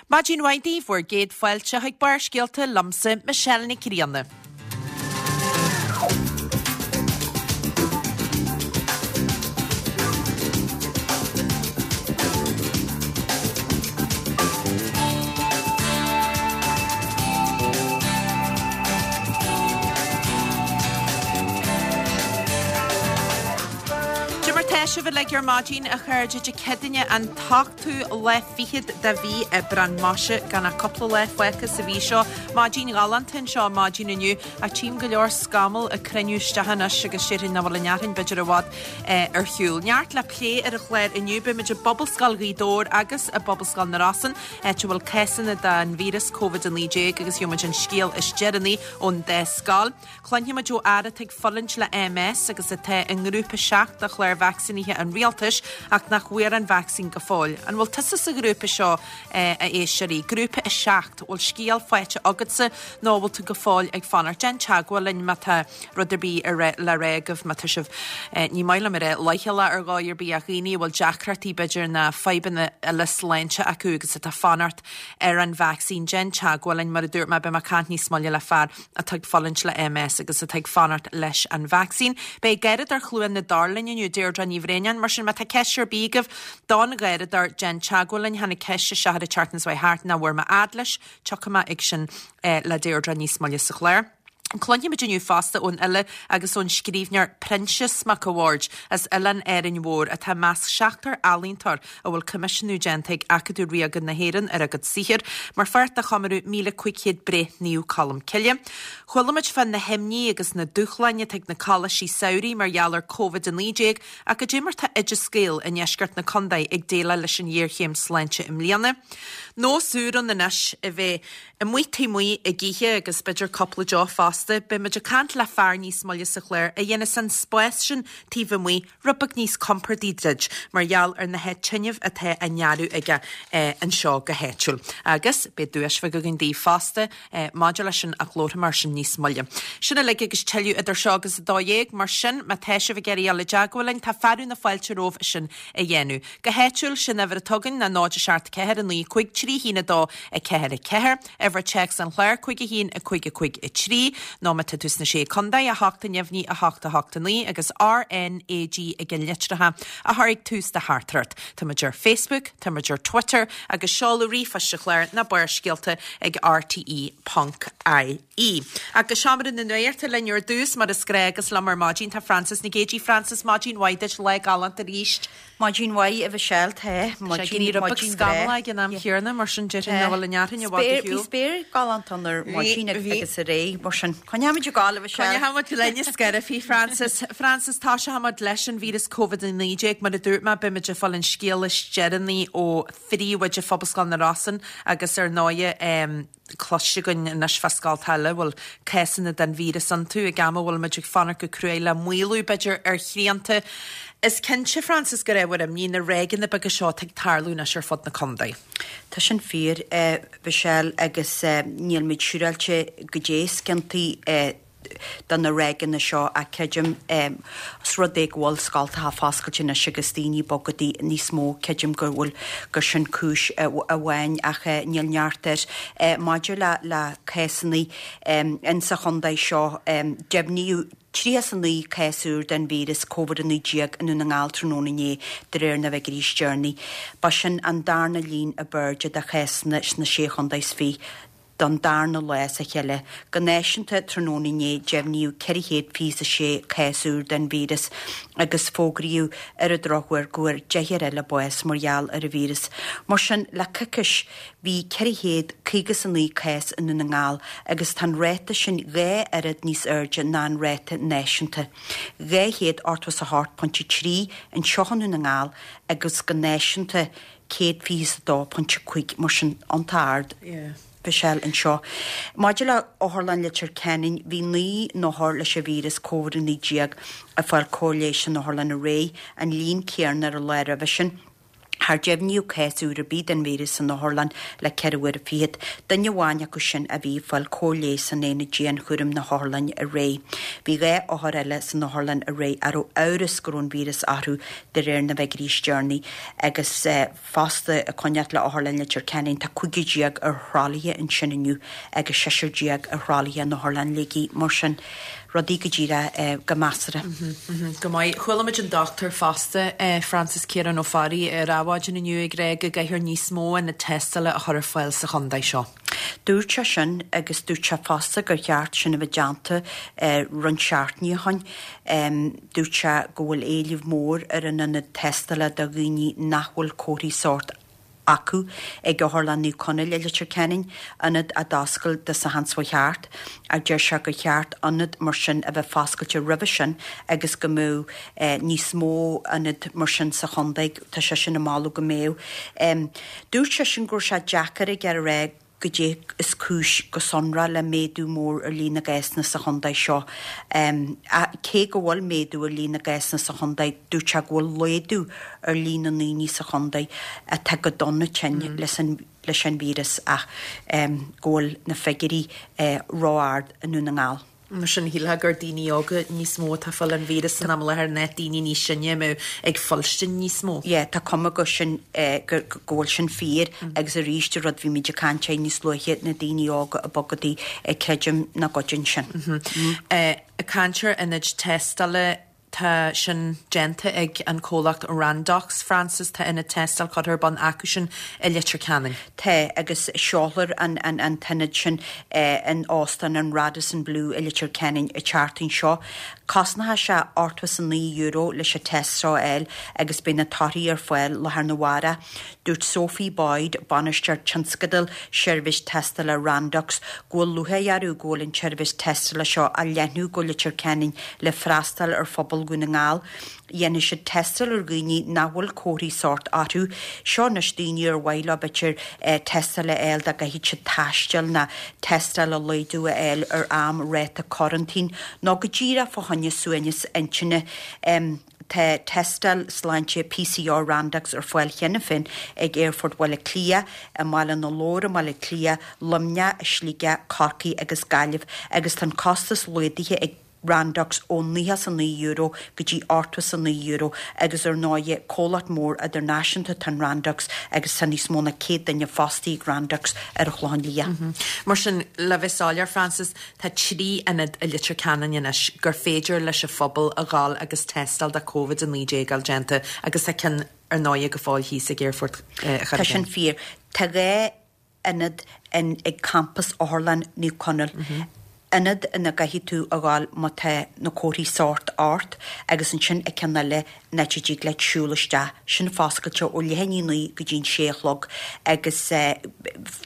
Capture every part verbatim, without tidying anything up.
Maidin mhaith daoibh, bhur gcéad fáilte chuig Barrscéalta liomsa, Michelle Nic Grianna. Cad é mar tá sibh uilig ar maidin, a chairde, Dé Céadaoine an t-ochtú lá fichead de mhí Aibreán. Maise, gan ach cúpla lá fágtha sa mhí seo. Maidin ghalánta anseo maidin inniu, ach tchím go leor scamall ag cruinniú isteach anois agus déarfainn nach bhfuil an fhearthainn b'fhéidir i bhfad ar shiúl. Neart le plé ar an chlár inniu, beimid i bPobalscoil Ghaoth Dobhair agus i bPobalscoil na Rosann, áit a bhfuil cásanna den víreas Covid a naoi déag agus gheobhaimid an scéal is deireanaí ón dá scoil. Cluinfimid ó fhear atá ag fulaingt le MS agus atá i ngrúpa seacht de chlár vacsaínithe an rialtais ach nach bhfuair an vacsaín go fóill. An bhfuil tusa sa ghrúpa seo, a éisteoirí? Grúpa a seacht, bhfuil scéal faighte agatsa nó bhfuil tú go fóill ag fanacht? Déan teagmháil linn má tá rud ar bith le rá agaibh, má tá sibh, ní maith liom a rá leithchealach ar dhóigh ar bith ach dhaoine a bhfuil deacrachtaí b'fhéidir nó fadhbanna eile sláinte acu agus atá fanacht ar an vacsaín, déan teagmháil linn. Mar a dúirt mé, beidh mé ag caint níos moille le fear atá ag fulaingt le MS agus atá ag fanacht leis an vacsaín. Beidh Garradóir Chluain na dTor linn inniu, Deirdre Ní Bhraonáin, mar sin má tá ceist ar bith agaibh don Gharradóir, déan teagmháil linn. Tháinig ceist isteach an tseachtain seo thart nach bhfuair mé fhad leis, tiocfaidh mé ag sin le Deirdre níos moille sa chlár. Cluinfimid inniu fosta ón fhile agus ón scríbhneoir Proinsias Mac a' Bhaird as Oileán Árainn Mhór atá i measc seachtar ealaíontóir a bhfuil coimisiúnú déanta ag Acadamh Ríoga na hÉireann ar a gcuid saothair mar pháirt de chomóradh míle cúig chéad breith Naomh Colm Cille. Chuala muid fá na himní agus na dúshláin atá ag na coláistí samhraidh mar gheall ar Covid a naoi déag ach cad é mar tá Oideas Gael i ndeisceart na contae ag déileáil leis an ghéarchéim sláinte i mbliana. Nós úr ann anois a bheith amuigh taobh amuigh ag ithe agus b'fhéidir cúpla deoch fosta. Beidh muid ag caint le fear níos moille sa chlár a dhéanas an spás sin taobh amuigh rud beag níos compordaí duit mar gheall ar na tinneamh atá á ngearradh aige anseo go háitiúil. Agus beidh duais bheag againn daoibh fosta maidir leis sin ach labharfaidh mé air sin níos moille. Sin uilig agus tuilleadh idir seo agus a dó dhéag, mar sin má tá sibh ag iarraidh dul i dteagmháil linn tá fearadh na fáilte romhaibh sin a dhéanamh. Go háitiúil, sin uimhir atá againn ná náid a seacht ceathair a naoi cúig trí haon a dó a ceathair a ceathair, uimhir téacs an chláir cúig a haon a cúig a cúig a trí, nó má tá tú sna Sé Contae, a hocht a neamhní a hocht a hocht a naoi agus R N A G ag an litreacha a thabharfaidh tús do theachtaireacht. Tá muid ar Facebook, tá muid ar Twitter agus seoladh ríomhphoist an chláir ná Barrscéalta ag R T E ponc I E. Ach go seomra na nuachta linn ar dtús mar is gnách agus liom ar maidin tá Frances Nic Géadaigh. Frances, maidin mhaith duit, lá galánta arís. Maidin mhaith, a Mhichelle, tá. Maidin mhaith breá. Ag an am chéanna mar sin déarfainn nach bhfuil an fhearthainn i bhfad ar shiúl. Bhí spéir galánta ann ar maidin agus aréir mar sin. Coinneoimid ag gabháil, a Mhichelle. Coinneoimid linn is scairbhí, Frances. Frances, tosóimid leis an víreas Covid a naoi déag. Mar a dúirt mé, beimid ag fáil an scéal is deireanaí ó phríomhoide Phobalscoil na Rosann agus ar ndóighe cloiste againn anois fá scoltacha eile a bhfuil cásanna den víreas iontu ag am a bhfuil muid ag fanacht go cruaidh le maolú b'fhéidir ar shrianta. Is cinnte, Frances, gur ábhar imní na ráigeanna beaga seo atá ag tarlú anois ar fud na contae. Tá sin fíor, a Mhichelle, agus níl muid siúráilte goidé is ciontaí do na ráigeanna seo ach creidim os rud é go bhfuil scoltacha foscailte anois agus daoine ag bogadh níos mó, creidim go bhfuil gur sin cúis amháin ach níl neart air. Maidir le le cásanna insa chontae seo, deimhníodh tríocha is a naoi cás úr den víreas Covid a naoi déag i nDún na nGall tráthnóna inné de réir na bhfigiúirí is deireanaí. Ba sin an darna líon ab airde de chásanna sna Sé Chontae is Fiche. don darna lá as a chéile. Go náisiúnta tráthnóna inné, deimhníodh ceithre chéad fiche is a sé cás úr den víreas agus fógraíodh ar an drochuair go bhfuair deichniúr eile bás mar gheall ar an víreas. Mar sin, le coicís, bhí ceithre chéad caoga is a naoi cás i nDún na nGall agus tá an ráta sin dhá oiread níos airde ná an ráta náisiúnta, dhá chéad ochtó is a hocht pointe trí anseo i nDún na nGall agus go náisiúnta céad fiche is a dó pointe cúig, mar sin, iontach ard. Mhichelle anseo. Maidir le Otharlann Leitir Ceanainn, bhí naoi n-othar leis an víreas Covid a naoi déag ag fáil cóir leighis san otharlann aréir, an líon céanna ar an lá roimhe sin. Char deimhníodh cás úr ar bith den víreas san otharlann le ceithre huaire fichead. Duine amháin acu sin a bhí ag fáil cóir leighis san aonad dianchúraim na hotharlainne aréir. Bhí dhá othar eile san otharlann aréir a raibh amhras go raibh an víreas orthu de réir na bhfigiúirí is deireanaí agus fosta ag coinneáil le Otharlann Leitir Ceanainn tá cúigear déag ar thralaithe ansin inniu agus seisear déag ar thralaithe in Otharlann Shligigh. Mar sin, rudaí go díreach go measartha. Go maith. Chuala muid an dochtúir fosta, Francis Ciarán Ó Fearraigh, ar Adhmhaidin inniu ag rá go gcaithfear níos mó ionad tástála a chur ar fáil sa chontae seo. Dúirt sé sin agus dúirt sé fosta gur cheart sin a bheith déanta roinnt seachtainí ó shin. Dúirt sé go bhfuil éileamh mór ar an ionad tástála do dhaoine nach bhfuil comharthaí sóirt acu ag Otharlann Naomh Conaill i Leitir Ceanainn, ionad a d'oscail Dé Sathairn seo thart, ach deir sé gur cheart ionad mar sin a bheith foscailte roimhe sin agus go mbeadh níos mó ionad mar sin sa chontae, tá seisean ag moladh go mbeadh. Dúirt seisean go raibh sé deacair aige a rá goidé is cúis go sonrach le méadú mór ar líon na gcásanna sa chontae seo. Cé go bhfuil méadú ar líon na gcásanna sa chontae, dúirt sé go bhfuil laghdú ar líon na ndaoine sa chontae atá go dona tinn leis an leis an víreas ach go bhfuil na figiúirí ró-ard i nDún na nGall. Mar sin, shílfeá gur daoine óga níos mó atá ag fáil an víreas san am i láthair ná daoine níos sine a mbeadh ag fuilstin níos mó. Yeah, tá cuma go sin go go bhfuil sin fíor agus arís an rud bhí muid ag caint air níos luaithe, na daoine óga ag bogadaí, creidim nach gcuidíonn sin. Ag caint ar ionaid tástála, Tá sin déanta ag an comhlacht Randox, Francis. Tá ionad tástála curtha ar bun acusan i Leitir Ceanainn. Tá, agus seolfar an an t-ionad sin in Óstán an Radisson Blu i Leitir Ceanainn an tseachtain seo. Cosnóidh sé ochtó is a naoi euro leis an test seo a fháil agus beidh na torthaí ar fáil lá arna mhárach. Dúirt Sophie Boyd, Bainisteoir Tionscadail Seirbhís Tástála Randox, go bhfuil lúcháir orthu go bhfuil an tseirbhís tástála seo á leathnú go Leitir Ceanainn le freastal ar phobal Dhún na nGall. Dhéanfaidh siad tástáil ar dhaoine nach bhfuil comharthaí sóirt orthu. Seo anois daoine ar mhaith leo b'fhéidir tástáil a fháil dá gcaithfidh siad taisteal nó tástáil a laghdú a fháil ar am ráta coraintín nó go díreach fá choinne suaimhneas intinne. Tá tástáil sláinte PCR Randox ar fáil cheana féin ag Aerfort Bhaile Átha Cliath, i mBaile na Lobhar i mBaile Átha Cliath, Luimneach, Sligeach, Corcaigh agus Gaillimh agus tá an costas laghdaithe ag Randox ó nócha is a naoi euro go dtí ochtó is a naoi euro agus ar ndóigh comhlacht mór idirnáisiúnta atá in Randox agus tá níos mó ná céad duine fostaithe ag Randox ar an Chlochán Liath. Mar sin, le bheith soiléir, Francis, tá trí ionad i Leitir Ceanainn anois gur féidir leis an phobal a ghabháil agus tástáil do Covid a naoi déag a fháil déanta agus tá ceann ar ndóigh go fóill thíos ag Aerfort Tá sin fíor. Tá dhá ionad in ag campas Otharlann Naomh Conaill. Ionad ina gcaithfidh tú a ghabháil má tá na comharthaí sóirt ort agus ansin an ceann eile an áit a dtig leat siúl isteach. Sin foscailte ó leath i ndiaidh a naoi go dtí an sé a chlog agus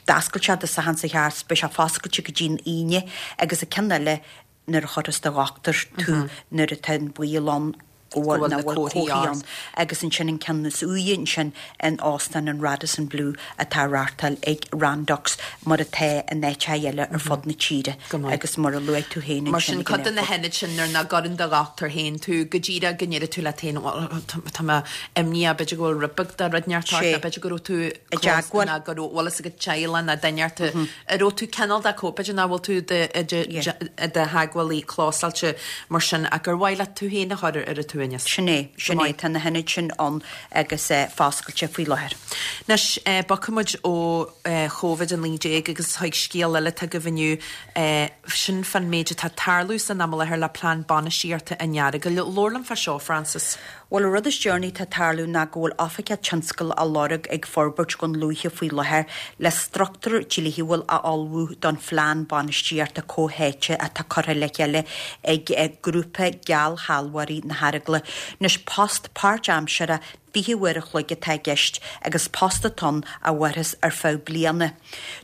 d'oscail sé Dé Sathairn seo thart, beidh sé foscailte go dtí an Aoine agus an ceann eile nuair a chuirfeas do dhochtúir tú nuair atá an baol ann go bhfuil na comharthaí ann agus ansin an ceann is úire ansin in Óstán an Radisson Blu atá á reáchtáil ag Randox mar atá in áiteacha eile ar fud na tíre agus mar a luaigh tú féin Mar sin cuid de na hionaid sin nuair nach gcuireann do dhochtúir féin tú go díreach go ndéarfaidh tú leat féin bhuel tá mé imníoch b'fhéidir go bhfuil rud beag de rud inteacht ort nó b'fhéidir go raibh tú i dteagmháil nó go raibh bhfuil fhios agat teaghlach nó duine ort a raibh tú cineál de b'fhéidir nach bhfuil tú i do theagmhálaí clósáilte mar sin ach gur mhaith leat tú féin a chur ar an tsuaimhneas. Sin é, sin é, tá na hionaid sin ann agus foscailte faoi láthair. Anois, bogfaidh muid ó Covid a naoi déag agus chuig scéal eile atá agaibh inniu, sin fán méid atá ag tarlú san am i láthair le plean bainistíochta an Earagail. Labhair liom fá seo, Frances. Bhuel, an rud is deireanaí atá ag tarlú ná go bhfuil oifigeach tionscail á lorg ag Forbairt Dhún Lúiche faoi láthair le struchtúr dlíthiúil a ullmhú don phlean bainistíochta comhtháite atá curtha le chéile ag grúpa geallshealbhóirí na hEaragaile. Anois, post páirtaimseartha fiche uair a chloig atá i gceist agus post atá ann a mhairfeas ar feadh bliana.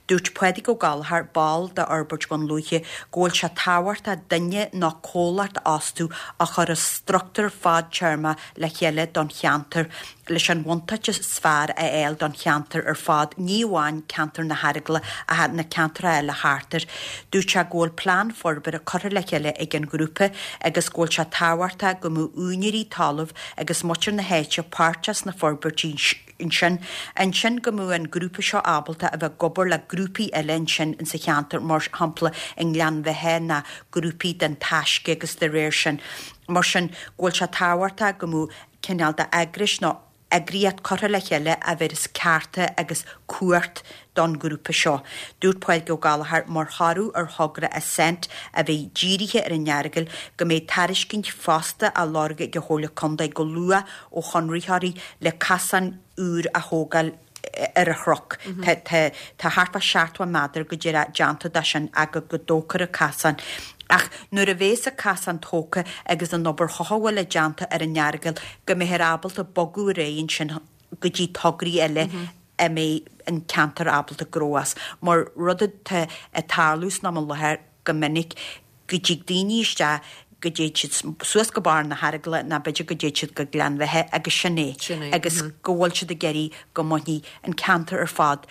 Dúirt Pádraig Ó Gallchóir, ball de Fhorbairt Dhún Lúiche, go bhfuil sé tábhachtach duine nó comhlacht a fhostú a chuirfeas struchtúr fadtéarmach le chéile don cheantar leis an bhuntáiste is fearr a fháil don cheantar ar fad, ní amháin ceantar na hEaragaile ach na ceantracha eile thart air. Dúirt sé go bhfuil plean forbartha curtha le chéile ag an ghrúpa agus go bhfuil sé tábhachtach go mbeadh úinéirí talaimh agus muintir na háite páirteach sna forbairtí ansin. Ansin go mbeadh an grúpa seo ábalta a bheith ag obair le grúpaí eile ansin insa cheantar, mar shampla i nGleann Bheithe ná grúpaí den Taisce agus de réir sin. Mar sin, go bhfuil sé tábhachtach go mbeadh cineál de eagrais nó eagraíocht curtha le chéile a bhéarfas cearta agus cumhacht don ghrúpa seo. Dúirt Pádraig Ó Gallchóir mar thoradh ar thogra Ascent a bheidh dírithe ar an Earagail go mbeidh tairiscint fosta á lorg ag an Chomhairle Contae go luath ó chonraitheoirí le casán úr a thógáil ar an chnoc. Tá thart fá seachtó méadar go díreach déanta de sin ach go dtógfar an casán. Ach nuair a bhéas an casán tógtha agus an obair chothabhála déanta ar an Earagail go mbeifear ábalta bogadh ar aghaidh ansin go dtí tograí eile a mbeidh an ceantar ábalta gnó as. Mar rud atá ag tarlú san am i láthair go minic go dtig daoine isteach go dtéid siad suas go barr na hEaragaile ná b'fhéidir go dtéid siad go Gleann Bheithe agus sin é agus go bhfuil siad ag iarraidh go mbainfidh an ceantar ar fad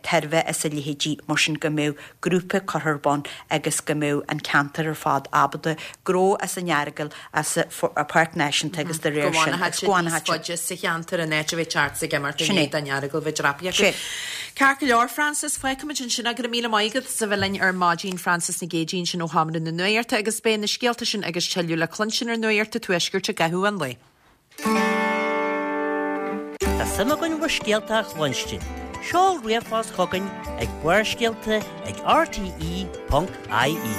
tairbhe as a leithéidí mar sin go mbeadh grúpa curtha ar bun agus go mbeadh an ceantar ar fad ábalta gnó as an Earagail as an Pháirc Náisiúnta agus de réir sin agus go bhfanfaidh siad níos faide sa cheantar in áit a bheith teacht ag imirt in éadan an Earagail bheith dreapaithe acu. Ceart go leor Frances, fágfaimid ansin é. Go raibh míle maith agat as a bheith linn ar maidin Frances Nic Géadaigh ansin ó Sheomra na Nuachta agus beidh na scéalta sin agus tuilleadh le cluinstin ar Nuacht an Tuaiscirt i gcaitheamh an lae. Tá suim againn bhur scéalta a chluinstin. Seol ríomhphost chugainn ag Barrscéalta ag rte ponc ie.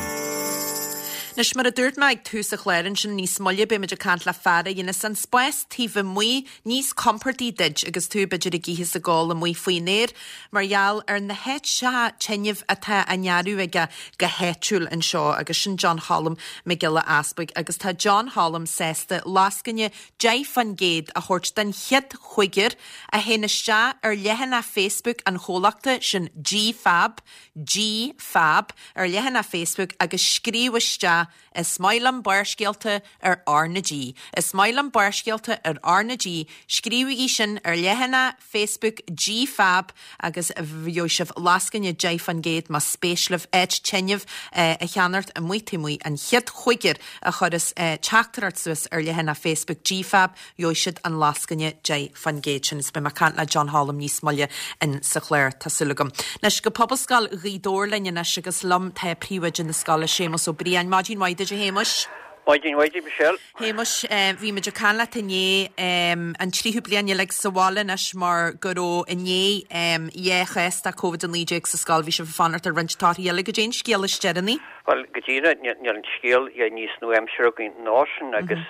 Anois mar a dúirt mé ag tús an chláir ansin níos moille beimid ag caint le fear a dhéanas an spás taobh amuigh níos compordaí duit agus tú b'fhéidir ag ithe is ag ól amuigh faoin aer mar gheall ar na háiteacha tinneamh atá á ndearadh aige go háitiúil anseo agus sin John Cholm Mac Giolla Easpaig agus tá John Cholm sásta lascaine deich faoin gcéad a thabhairt don chéad chúigear a théann isteach ar leathanach Facebook an chomhlachta sin G-Fab G-Fab ar leathanach Facebook agus scríobh isteach Is maith liom Barrscéalta ar R na G. Is maith liom Barrscéalta ar R na G. Scríobhaigí sin ar leathanach Facebook G-Fab agus gheobhaidh sibh lascaine deich faoin gcéad más spéis libh áit tinneamh a cheannacht amuigh taobh amuigh an chéad chúigear a chuireas teachtaireacht suas ar leathanach Facebook G-Fab gheobhaidh siad an lascaine deich faoin gcéad sin. Is beidh mé ag caint le John Cholm níos moille in sa chlár tá súil agam. Anois go Pobalscoil Ghaoth Dobhair linn anois agus liom tá príomhoide na scoile Séamus Ó Briain. Maidin mhaith duit a Shéamuis. Maidin mhaith duit Michelle. Shéamuis, bhí muid ag caint leat inné an tríú bliain uilig sa bhaile anois mar go raibh inné dhá chás de Covid a naoi déag sa scoil, bhí sibh ag fanacht ar roinnt torthaí eile. Goidé an scéal is deireanaí. Bhuel, go díreach, níl an scéal níos nua-aimseartha againn ná sin agus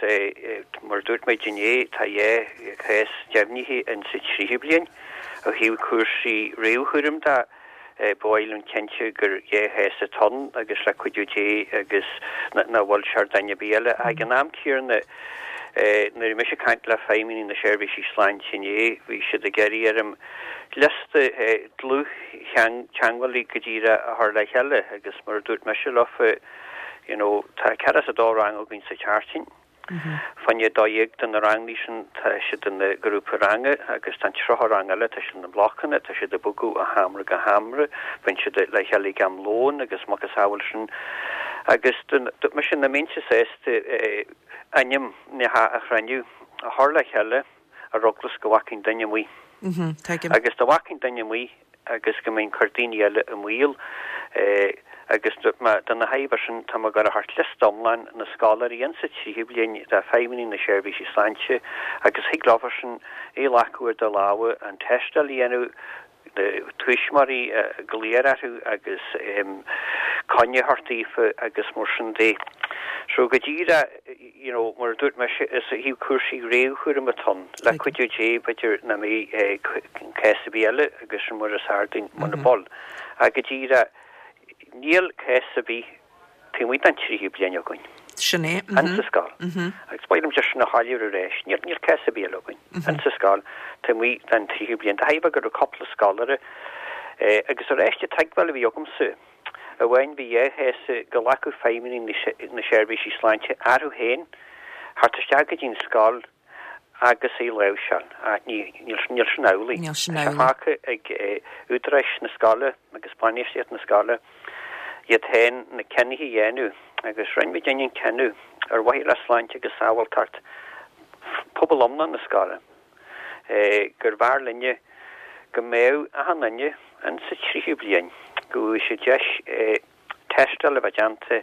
mar a dúirt muid inné, tá dhá chás deimhnithe in sa tríú bliain ó thaobh cúrsaí réamhchúraim de. Ba mhaith liom cinnte gur dhá chás atá ann agus le cuidiú Dé agus nach bhfuil sé ar duine ar bith eile. Ach ag an am céanna, nuair a bhí mise ag caint le feidhmeannaigh na seirbhísí sláinte inné, bhí siad ag iarraidh orm liosta dlúth-theagmhálaí go díreach a chur le chéile agus mar a dúirt mise leofa, you know, tá ceathracha is a dó rang againn sa tseachtain. Fá choinne dó dhéag de na ranganna sin, tá siad ina ngrúpa ranga agus tá an tríocha rang eile, tá siad ina mblocanna, tá siad ag bogadh ó sheomra go seomra, bíonn siad le chéile ag am lóin agus macasamhail sin. Agus dúirt mise nach mbeinnse sásta ainmneacha a chruinniú, a chur le chéile ar eagla is go bhfágfainn duine amuigh. Agus dá bhfágfainn duine amuigh, agus go mbeinn ag cur daoine eile i mbaol agus do na hábhair sin tá mé ag gabháil a thabhairt liosta iomlán na scoláirí insa tríú bliain do feidhmeannaigh na seirbhísí sláinte agus thig leofasan é a ghlacadh ar do lámha, an tástáil a dhéanamh, na tuismitheoirí a glaoch orthu agus coinne a thabhairt daofa agus mar sin de. So go díreach, you know, mar a dúirt mise, is ó thaobh cúrsaí réamhchúraim atá ann, le cuidiú Dé, b'fhéidir nach mbeidh cás ar bith eile agus sin mar is fearr dúinn muna bhfuil. Ach go díreach, níl cás ar bith taobh amuigh den tríú bliain againn. Sin é. Insa scoil. Agus ba mhaith liom just sin a shoiléiriú arís, níl, níl cás ar bith eile againn insa scoil taobh amuigh den tríú bliain. De thairbhe go raibh cúpla scoláire agus arís an teagmháil a bhí agamsa, amháin bhí dhá chás go nglacfadh feidhmeannaigh na seirbhísí sláinte orthu féin theacht isteach go dtí an scoil agus é a láimhseáil. Ach ní, níl, níl sin amhlaidh. Níl sin Tá sé amhlaidh. fágtha ag údaráis na scoile agus bainistíocht na scoile iad féin na cinnithe a dhéanamh agus rinne muidinne an cinneadh ar mhaithe le sláinte agus sábháilteacht phobal iomlán na scoile. Gur bhfearr linne go mbeadh achan duine in sa tríú bliain, go bhfuil sé deis tástáil a bheith déanta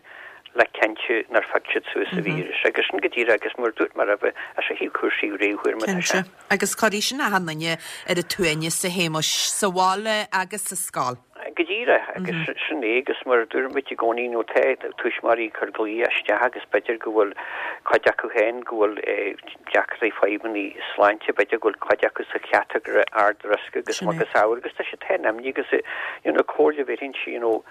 le cinntiú nár phioc siad suas an víreas. Agus sin go díreach agus mar dúirt mé roimhe, as ó thaobh cúrsaí réamhchúraim atá sé. Cinnte. Agus cuirfidh sin achan duine ar a tsuaimhneas, a Shéamuis, sa bhaile agus sa scoil. Go díreach, agus sin é, agus mar a dúirt muid i gcónaí, nó tá tuismitheoirí ag cur glaoch isteach agus b'fhéidir go bhfuil cuid acu féin go bhfuil deacrachtaí fadhbanna sláinte, b'fhéidir go bhfuil cuid acu sa chatagóire ard-riosca agus macasamhail agus tá siad féin imní agus you know comhairle a bhéarfainnse you know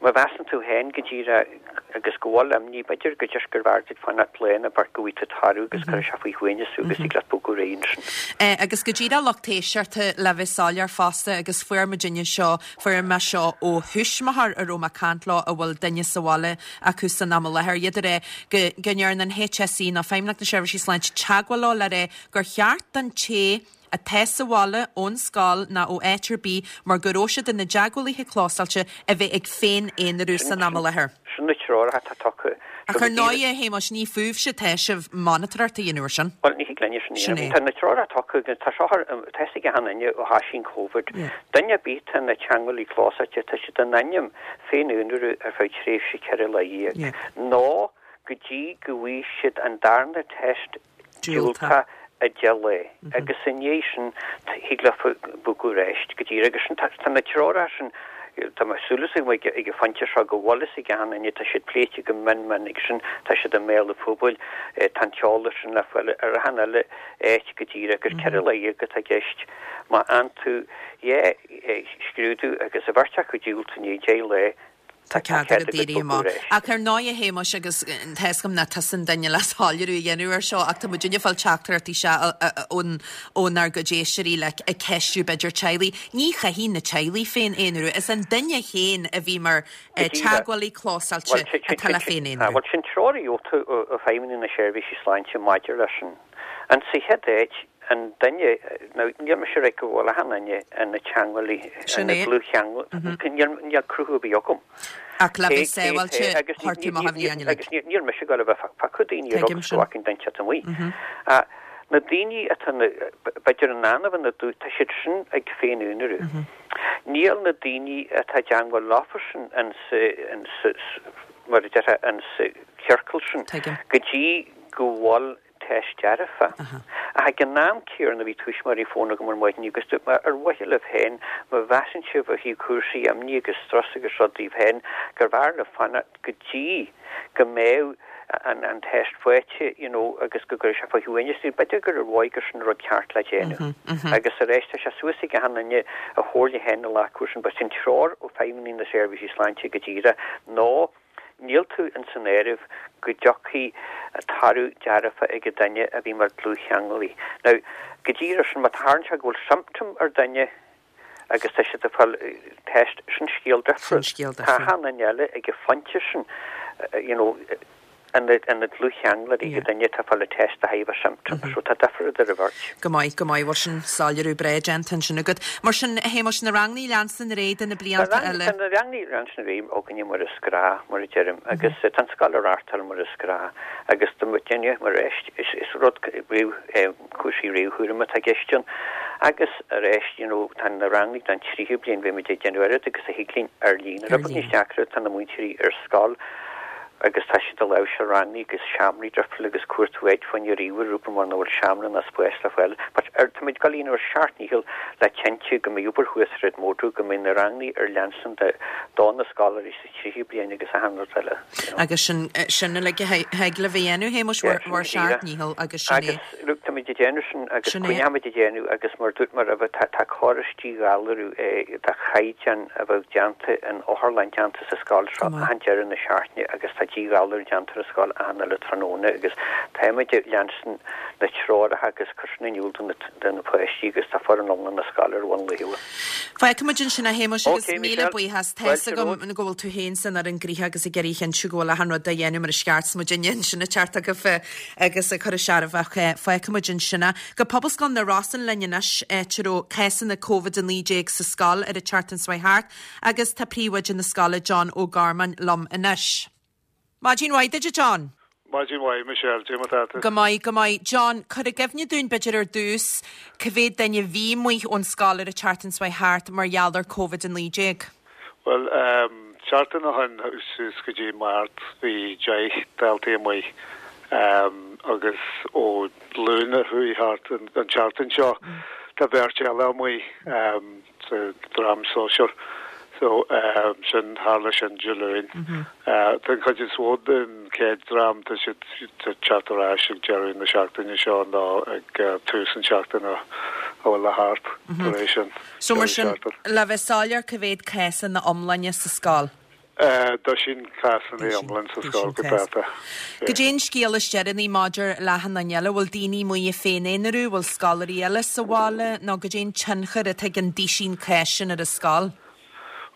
má mheasann tú féin go díreach agus go bhfuil imní, b'fhéidir go just gur bhfearr duit fanacht lá nó beirt go bhfaighidh tú toradh agus cuirfidh sé faoi shuaimhneas thú agus thig leat bogadh ar aghaidh ansin. Agus go díreach lucht éisteachta le bheith soiléir fosta agus fuair muidinne seo, fuair mé seo ó thuismitheoir a raibh mé ag caint leo a bhfuil duine sa bhaile acu san am i láthair, iad ag rá go go ndearna an HSE nó Feidhmeannacht na Seirbhísí Sláinte teagmháil leo le rá gur cheart don té atá sa bhaile, ón scoil ná ó áit ar bith mar go raibh siad ina dteagmhálaithe clósáilte a bheith ag féin-aonarú san am i láthair. Sin na treoracha atá tugtha. Ach ar ndóigh, a Shéamuis, ní fúibhse atá sibh monatóireacht a dhéanamh air sin. Bhuel, ní thig linne sin a Sin dhéanamh. é. Tá na treoracha tugtha agus tá seo ar, tá fhios ag achan duine ó thoisigh an Covid. Duine ar bith atá ina teagmhálaí clósáilte, tá siad in ainm féin-aonarú ar feadh tréimhse ceithre lá dhéag nó go dtí go bhfaighidh siad an darna test diúltach i deich lá agus i ndiaidh sin thig leofa bogadh ar ais go díreach agus sin tá na treoracha sin tá mé súil agam ag an phointe seo go bhfuil fhios ag achan duine tá siad pléite go mion mion agus sin tá siad i mbéal an phobail tá an t-eolas sin le fáil ar achan uile áit go díreach agus ceithre lá dhéag atá i gceist má fhaigheann tú dhá scrúdú agus an bheirt acu diúltach i ndiaidh deich lá Tá cead agat éirí amach. Ach ar ndóigh, a Shéamuis, agus tá fhios agam nach tusa an duine le soiléiriú a dhéanamh air seo, ach tá muidinne ag fáil teachtaireachtaí isteach ón ónár gcuid éisteoirí le ag ceistiú b'fhéidir teaghlaigh. Ní chaithfidh na teaghlaigh féin-aonarú. Is an duine féin a bhí mar teagmhálaí clósáilte atá le féin-aonarú. Bhuel, sin treoir a gheobhaidh tú ó Feidhmeannacht na Seirbhísí Sláinte maidir leis sin. An sa chéad áit, an duine, now níl mise ag rá go bhfuil achan duine ina teagmhálaí, Sin ina é. dlúthcheangal, níl, níl cruthú ar bith agam. Ach le Cé, bheith cé, sábháilte, cé, agus chuir tú amach an bhliain uilig. agus níl, níl mise ag dul a bheith ag piocadh daoine ar Tuigim agus sin. go bhfacainn duine teacht amuigh. Ach na daoine atá na, b'fhéidir in ann a bheith ina dlúth, tá siad sin ag féin-aonarú. Níl na daoine atá i dteagmháil leofa sin in sa, in sa, mar a déarfá, in sa chiorcal sin Tuigim. go dtí go bhfuil teist dearfa. Ach ag an am céanna bhí tuismitheoirí ag fónamh agam ar maidin agus dúirt mé ar mhaithe libh féin má mheasann sibh ó thaobh cúrsaí imní agus strus agus rud daoibh féin gur bhfearr libh fanacht go dtí go mbeadh an, an test faighte you know, agus go gcuirfidh sé faoi shuaimhneas daoibh. B'fhéidir gur ar mhaith gur sin rud ceart le déanamh. Agus arís tá sé suas ag achan duine a chomhairle féin a ghlacadh sin, but sin treoir ó Feidhmeannacht na Seirbhísí Sláinte go díreach nó níl tú in san áireamh go dtiocfaidh toradh dearfa ag an duine a bhí mar dlúthcheangálaí. Now, go díreach sin má tharlaíonn sé go bhfuil symptom ar duine agus tá siad ag fáil test sin scéal Sin difriúil. scéal Tá difriúil. achan duine eile ag an phointe sin, you know, ina ina dlúthcheangálaí ag duine atá ag fáil test a thaobh a symptom, so tá difear idir an bheirt. Go maith, go maith, bhuel sin soiléiriú breá déanta ansin agat. Mar sin, a Shéamuis, na ranganna leanstan ar aghaidh do na blianta eile. Tá na ranganna leanstan ar aghaidh againne mar is gnách, mar a deirim, agus tá an scoil á reáchtáil mar is gnách, agus tá muidinne mar is, is rud réamh, cúrsaí réamhchúraim atá i gceist ann. Agus arís, you know, tá na ranganna don tríú bliain, bhí muid ag déanamh oiread agus a thig linn ar líne. Ar Rud beag níos líne. deacra, tá na múinteoirí ar scoil agus tá siad ag láimhseáil ranganna agus seomraí difriúla agus cuartú áit fá choinne ríomhaire rúpa mar nach bhfuil seomra ná spás le fáil. But ar tá muid ag dul a dhéanamh ár seacht ndícheall le cinntiú go mbeidh obair thuas ar Edmodo, go mbeidh na ranganna ar leanstan de do na scoláirí sa tríú bliain agus achan rud eile. You know. Agus sin, sin uilig a thig libh a dhéanamh, Shéamuis, Yeah, bhur sin bhur seacht díreach. ndícheall agus sin é. Agus look, tá muid ag déanamh sin agus Sin é. coinneoimid ag déanamh agus mar dúirt mé roimhe tá tá córas díghalarú eh, de chaighdeán a bheadh déanta in otharlann déanta sa scoil seo Go maith. achan deireadh na seachtaine agus tá díghalarú déanta ar an scoil achan uile tráthnóna agus táimid ag leanstan na treoracha agus cur sin in iúl do na do na páistí agus tá foireann iomlán na scoile ar bhun laethúil. Feicfimid ansin a Shéamuis agus Okay, míle Michelle. buíochas Fáilte Tá fhios agam romhat. go bhfuil tú féin san ar an gcríthe agus ag iarraidh a chinntiú go bhfuil achan rud á dhéanamh mar is ceart muidinne ansin ag teacht agaibh agus ag cur a searbhach feicfimid ansin. Go Pobalscoil na Rosann linn anois áit a raibh cásanna Covid a naoi déag sa scoil ar an tseachtain seo thart agus tá príomhoide na scoile John Ó Gormáin liom anois. Maidin mhaith duit John. Maidin mhaith, Michelle, cad é mar atá tú? Go maith, go maith. John, cuir i gcuimhne dúinn b'fhéidir ar dtús, cá mhéad duine a bhí amuigh ón scoil ar an tseachtain seo thart mar gheall ar Covid a naoi déag? Bhuel, seachtain ó shin suas go dtí Máirt bhí deich daltaí amuigh agus ó Luan a chuaigh thart an tseachtain seo tá beirt eile amuigh sa dream sóisear. So sin, tharla sin Dé Luain. Tá an chuid is mó den chéad dream, tá siad ag teacht ar ais ag deireadh na seachtaine seo nó ag tús an seachtain a bhfuil le theacht tar éis an So mar sin, le bheith soiléir, cá mhéad cás ina iomláine sa scoil? Doisín cás ina iomlán sa scoil go dáta. Goidé an scéal is deireanaí maidir le achan duine eile, bhfuil daoine amuigh ina féin-aonarú, bhfuil scoláirí eile sa bhaile nó goidé an tionchar atá ag an duisín cás sin ar an scoil?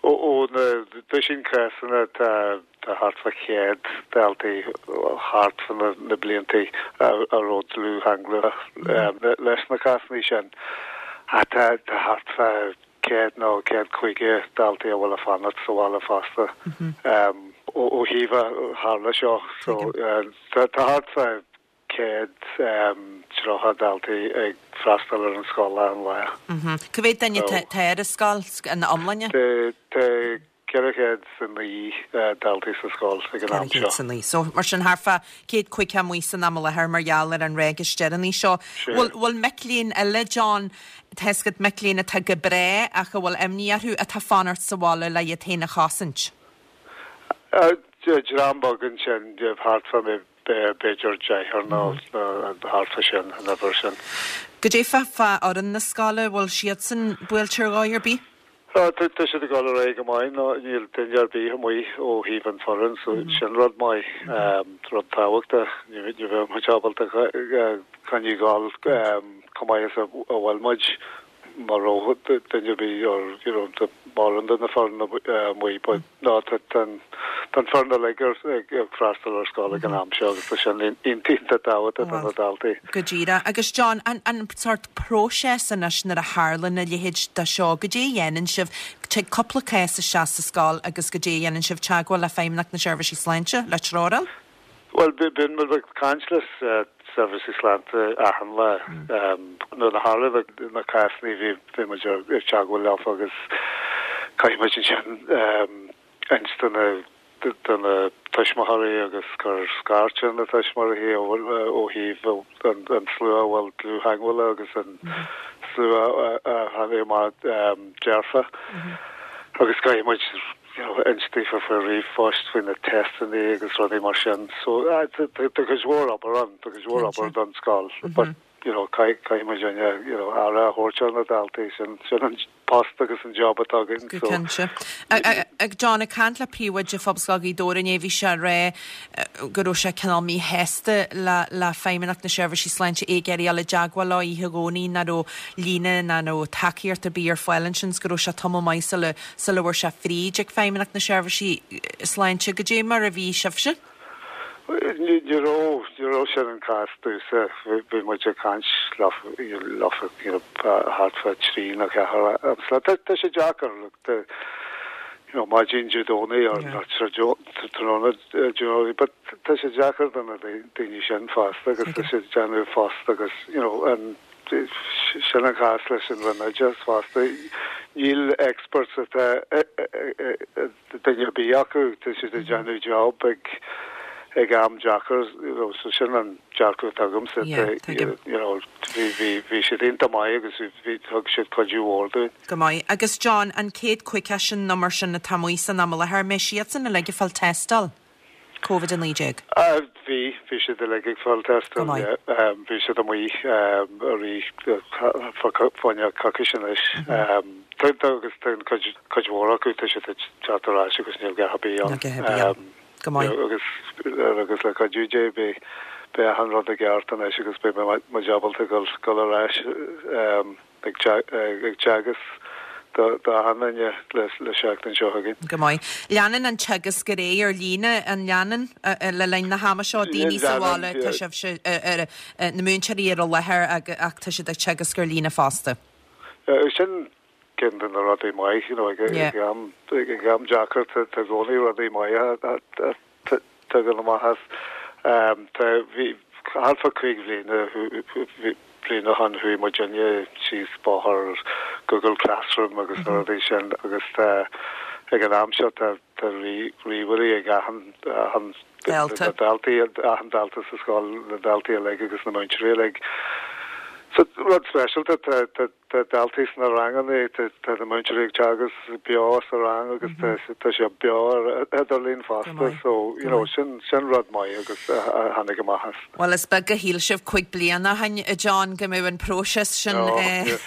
Ó na duisín cásanna tá tá thart fá chéad daltaí thart fá na na bliantaí a raibh dlúth-cheangal leis na cásanna sin. Tá tá thart fá céad nó céad caoga daltaí a bhfuil ag fanacht sa bhaile fosta ó ó thaobh a tharla seo. So tá tá thart fá céad tríocha daltaí ag freastal ar an scoil achan lá. Cá mhéad duine tá ar an scoil ina iomláine? Tá ceithre chéad is a naoi daltaí sa scoil ag an am seo. Ceithre chéad is a naoi. So mar sin thart fá céad caoga amuigh san am i láthair mar gheall ar an ráig is deireanaí seo. Bhfuil bhfuil mic léinn eile, John, tá a fhios agat mic léinn atá go breá ach a bhfuil imní orthu atá fanacht sa bhaile le iad féin a chosaint? Dream beag ansin, thart fá b'fhéidir deichniúr nó thart fá sin, an uimhir sin. Goidé fá fá fhoireann na scoile, bhfuil siadsan buailte ar dhóigh ar bith? Tá siad ag dul ar aghaidh go maith, nó níl duine ar bith amuigh ó thaobh an foireann, so sin rud maith, rud tábhachtach. Ní bheadh muid ábalta coinneáil ag dul chomh maith is a bhfuil muid mura raibh duine ar bith or you know mórán de na foireann amuigh but no tá an tá an foireann uilig ag ag freastal ar scoil ag an am seo agus tá sin iontach tábhachtach do na daltaí. Go díreach. Agus John, an an sort próiseas anois nuair a tharlann a leithéid de seo, goidé a dhéanann sibh, tig cúpla cás isteach sa scoil agus goidé a dhéanann sibh teagmháil le Feidhmeannacht na Seirbhísí Sláinte, le treoráil? Bhuel, bíonn muid ag caint le seirbhísí sláinte achan lá. Nuair a tharla na cásanna bhí bhí muid ag teagmháil leo agus caithfidh muid ansin inst do na do na tuismitheoirí agus cur scairt ar na tuismitheoirí ó thaobh an an slua a bhfuil dlúth-theagmháil agus an slua a tháinig amach dearfa. Agus caithfidh muid you know inst daofa faoi ríomhphost faoi na teisteanna agus rudaí mar sin. So tá cuid mhór obair ann, tá cuid mhór obair don scoil. But you know caithfidh muid you know aire a thabhairt ar na daltaí sin sin an post agus an job atá againn. Go cinnte. Ag John, ag caint le príomhoide Phobalscoil Ghaoth Dobhair inné bhí sé ag rá go raibh sé cineál míshásta le le Feidhmeannacht na Seirbhísí Sláinte é ag iarraidh dul i dteagmháil leo oíche Dhomhnaigh nach raibh líne ná raibh tacaíocht ar bith ar fáil ansin 's go raibh sé tamall maith sula sula bhfuair sé fríd ag Feidhmeannacht na Seirbhísí Sláinte. Goidé mar a bhí sibhse? Ní raibh ní raibh sin an cás domhsa bhí muid ag caint leofa you know thart fá trí nó ceathair am tá sé deacair you know maidin Dé Domhnaigh or tráthnóna Dé Domhnaigh but tá sé deacair do na daoine sin fosta agus tá sé déanamh fosta agus you know an sin an cás leis an Roinn Oideachais fosta. Níl experts atá duine ar bith acu tá siad ag déanamh job ag ag am deacair you know so sin an dearcadh atá agamsa you know bhí bhí bhí siad iontach maith agus bhí thug siad cuidiú mhór dúinn. Go maith. Agus John, an céad caoga sin nó mar sin atá amuigh san am i láthair, an mbeidh siadsan uilig ag fáil tástáil Covid a naoi déag? Bhí, bhí siad uilig ag fáil tástáil, yeah. Bhí siad amuigh arís fá choinne coicís anois. Tá agus tá an cuid cuid mhór acu, tá siad ag teacht ar ais agus níl a dhath ar bith ann. Níl a dhath ar bith ann. Go maith. Agus agus le cuidiú Dé beidh beidh achan rud i gceart anois agus beidh muid ábalta dul dul ar ais ag teagasc do achan duine le seachtain seo chugainn. Go maith. Leanann an teagasc ar aghaidh ar líne, an leanann, le linn na hama seo, daoine sa bhaile, tá sibhse, na múinteoirí ar an láthair ach tá siad ag teagasc ar líne fosta. Sin ceann de na rudaí maith, you know, ag am ag am deacair tá i gcónaí rudaí maithe a tagann amach as. Tá bhí thart fá cúig bhliana bliain ó shin chuaigh muidinne síos bóthar Google Classroom agus na rudaí sin agus tá ag an am seo tá tá ríomhairí ag achan achan Dalta. daltaí achan dalta sa scoil na daltaí uilig agus na múinteoirí uilig. So rud speisialta tá tá tá daltaí sna ranganna tá tá na múinteoirí ag teagasc beo sa rang agus tá tá sé beo ar idirlíon fosta so you know sin sin rud maith agus a a tháinig amach as. Well is beag a shíl sibh cúig bliana ó shin a John go mbeadh an próiseas sin No, eh, yes.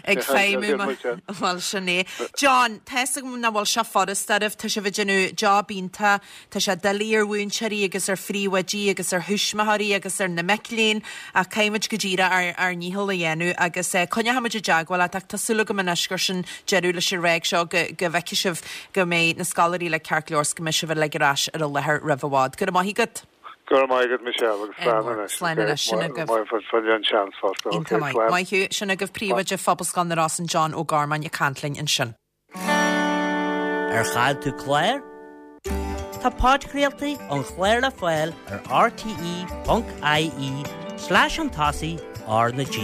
ag feidhmiú Yeah, yeah. Well sin é. John, tá nach bhfuil sé furast oraibh tá sibh ag déanamh job iontach tá sé doiligh ar mhúinteoirí agus ar phríomhoidí agus ar thuismitheoirí agus ar na mic léinn ach caithfimid go díreach ár ár ndícheall a dhéanamh agus eh, coinneoimid i dteagmháil leat ach tá súil agam anois gur sin deireadh leis an ráig seo go go bhfeicfidh sibh go mbeidh na scoláirí le ceart go leor go mbeidh sibh uilig ar ais ar an láthair roimh i bhfad. Go raibh maith agat. Go raibh maith agat Michelle agus slán anois. Slán anois, sin agaibh. Maith an seans fosta. Iontach maith. Maith thú sin agaibh príomhoide Phobalscoil na Rosann John Ó Gormáin ag caint linn ansin. Ar chaill tú clár? Tá podchraoltaí an chláir le fáil ar rte.ie slash an tosaigh R na G.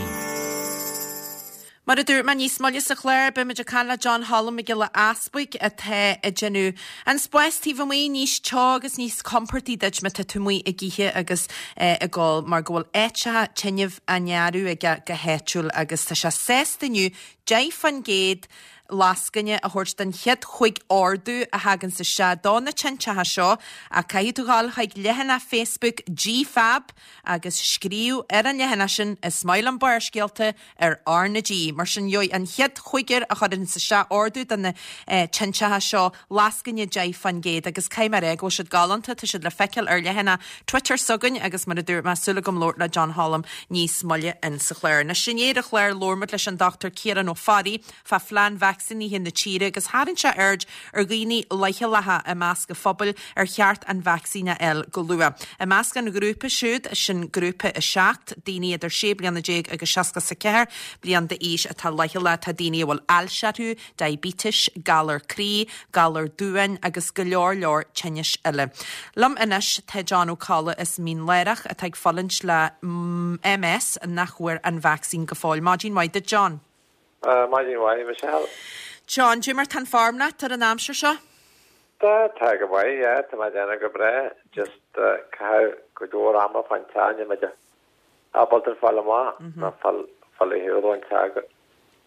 Mar a dúirt mé níos moille sa chlár beimid ag caint le John Holm Mac Giolla Easbuig atá ag déanamh an spás taobh amuigh níos teo agus níos compordaí duit má tá tú amuigh ag ithe agus eh, ag ól mar go bhfuil áiteacha tinneamh á ndearadh aige go háitiúil agus tá sé sásta inniu deich faoin gcéad lascaine a thabhairt den chéad chúig ordú a thagann isteach do na tinteacha seo a caithfidh tú dul chuig leathanach Facebook GFAB agus scríobh ar an leathanach sin is maith liom Barrscéalta ar R na G. Mar sin gheobhaidh an chéad chúigear a chuireann isteach ordú do na eh, tinteacha seo lascaine deich faoin gcéad agus caithfidh mé a rá go bhfuil siad galánta tá siad le feiceáil ar leathanach Twitter s'againn agus mar a dúirt mé súil agam labhairt le John Holm níos moille in sa chlár. Anois inné ar an chlár labhair muid leis an Dr Ciarán Ó Fearraigh fá phlean vacsaínithe na tíre agus tharraing sé aird ar dhaoine leochaileacha i measc an phobail ar cheart an vacsaín a fháil go luath. I measc an ghrúpa siúd sin grúpa a seacht daoine idir sé bliana déag agus seasca a ceathair bliain d'aois atá leochaileach tá daoine a bhfuil ailse orthu, diabetes, galar croí, galar duáin agus go leor leor tinnis eile. Liom anois tá John Ó Colla is Mín Lárach atá ag fulaingt le MS nach bhfuair an vacsaín go fóill. Maidin mhaith duit John. Uh, Maidin mhaith Michelle. John, cad é mar tá an form leat ar an aimsir seo? Tá tá go maith yeah, tá mé déanamh go breá just uh, caitheamh go leor ama fan teine me ábalta fáil amach na fáil fáil an te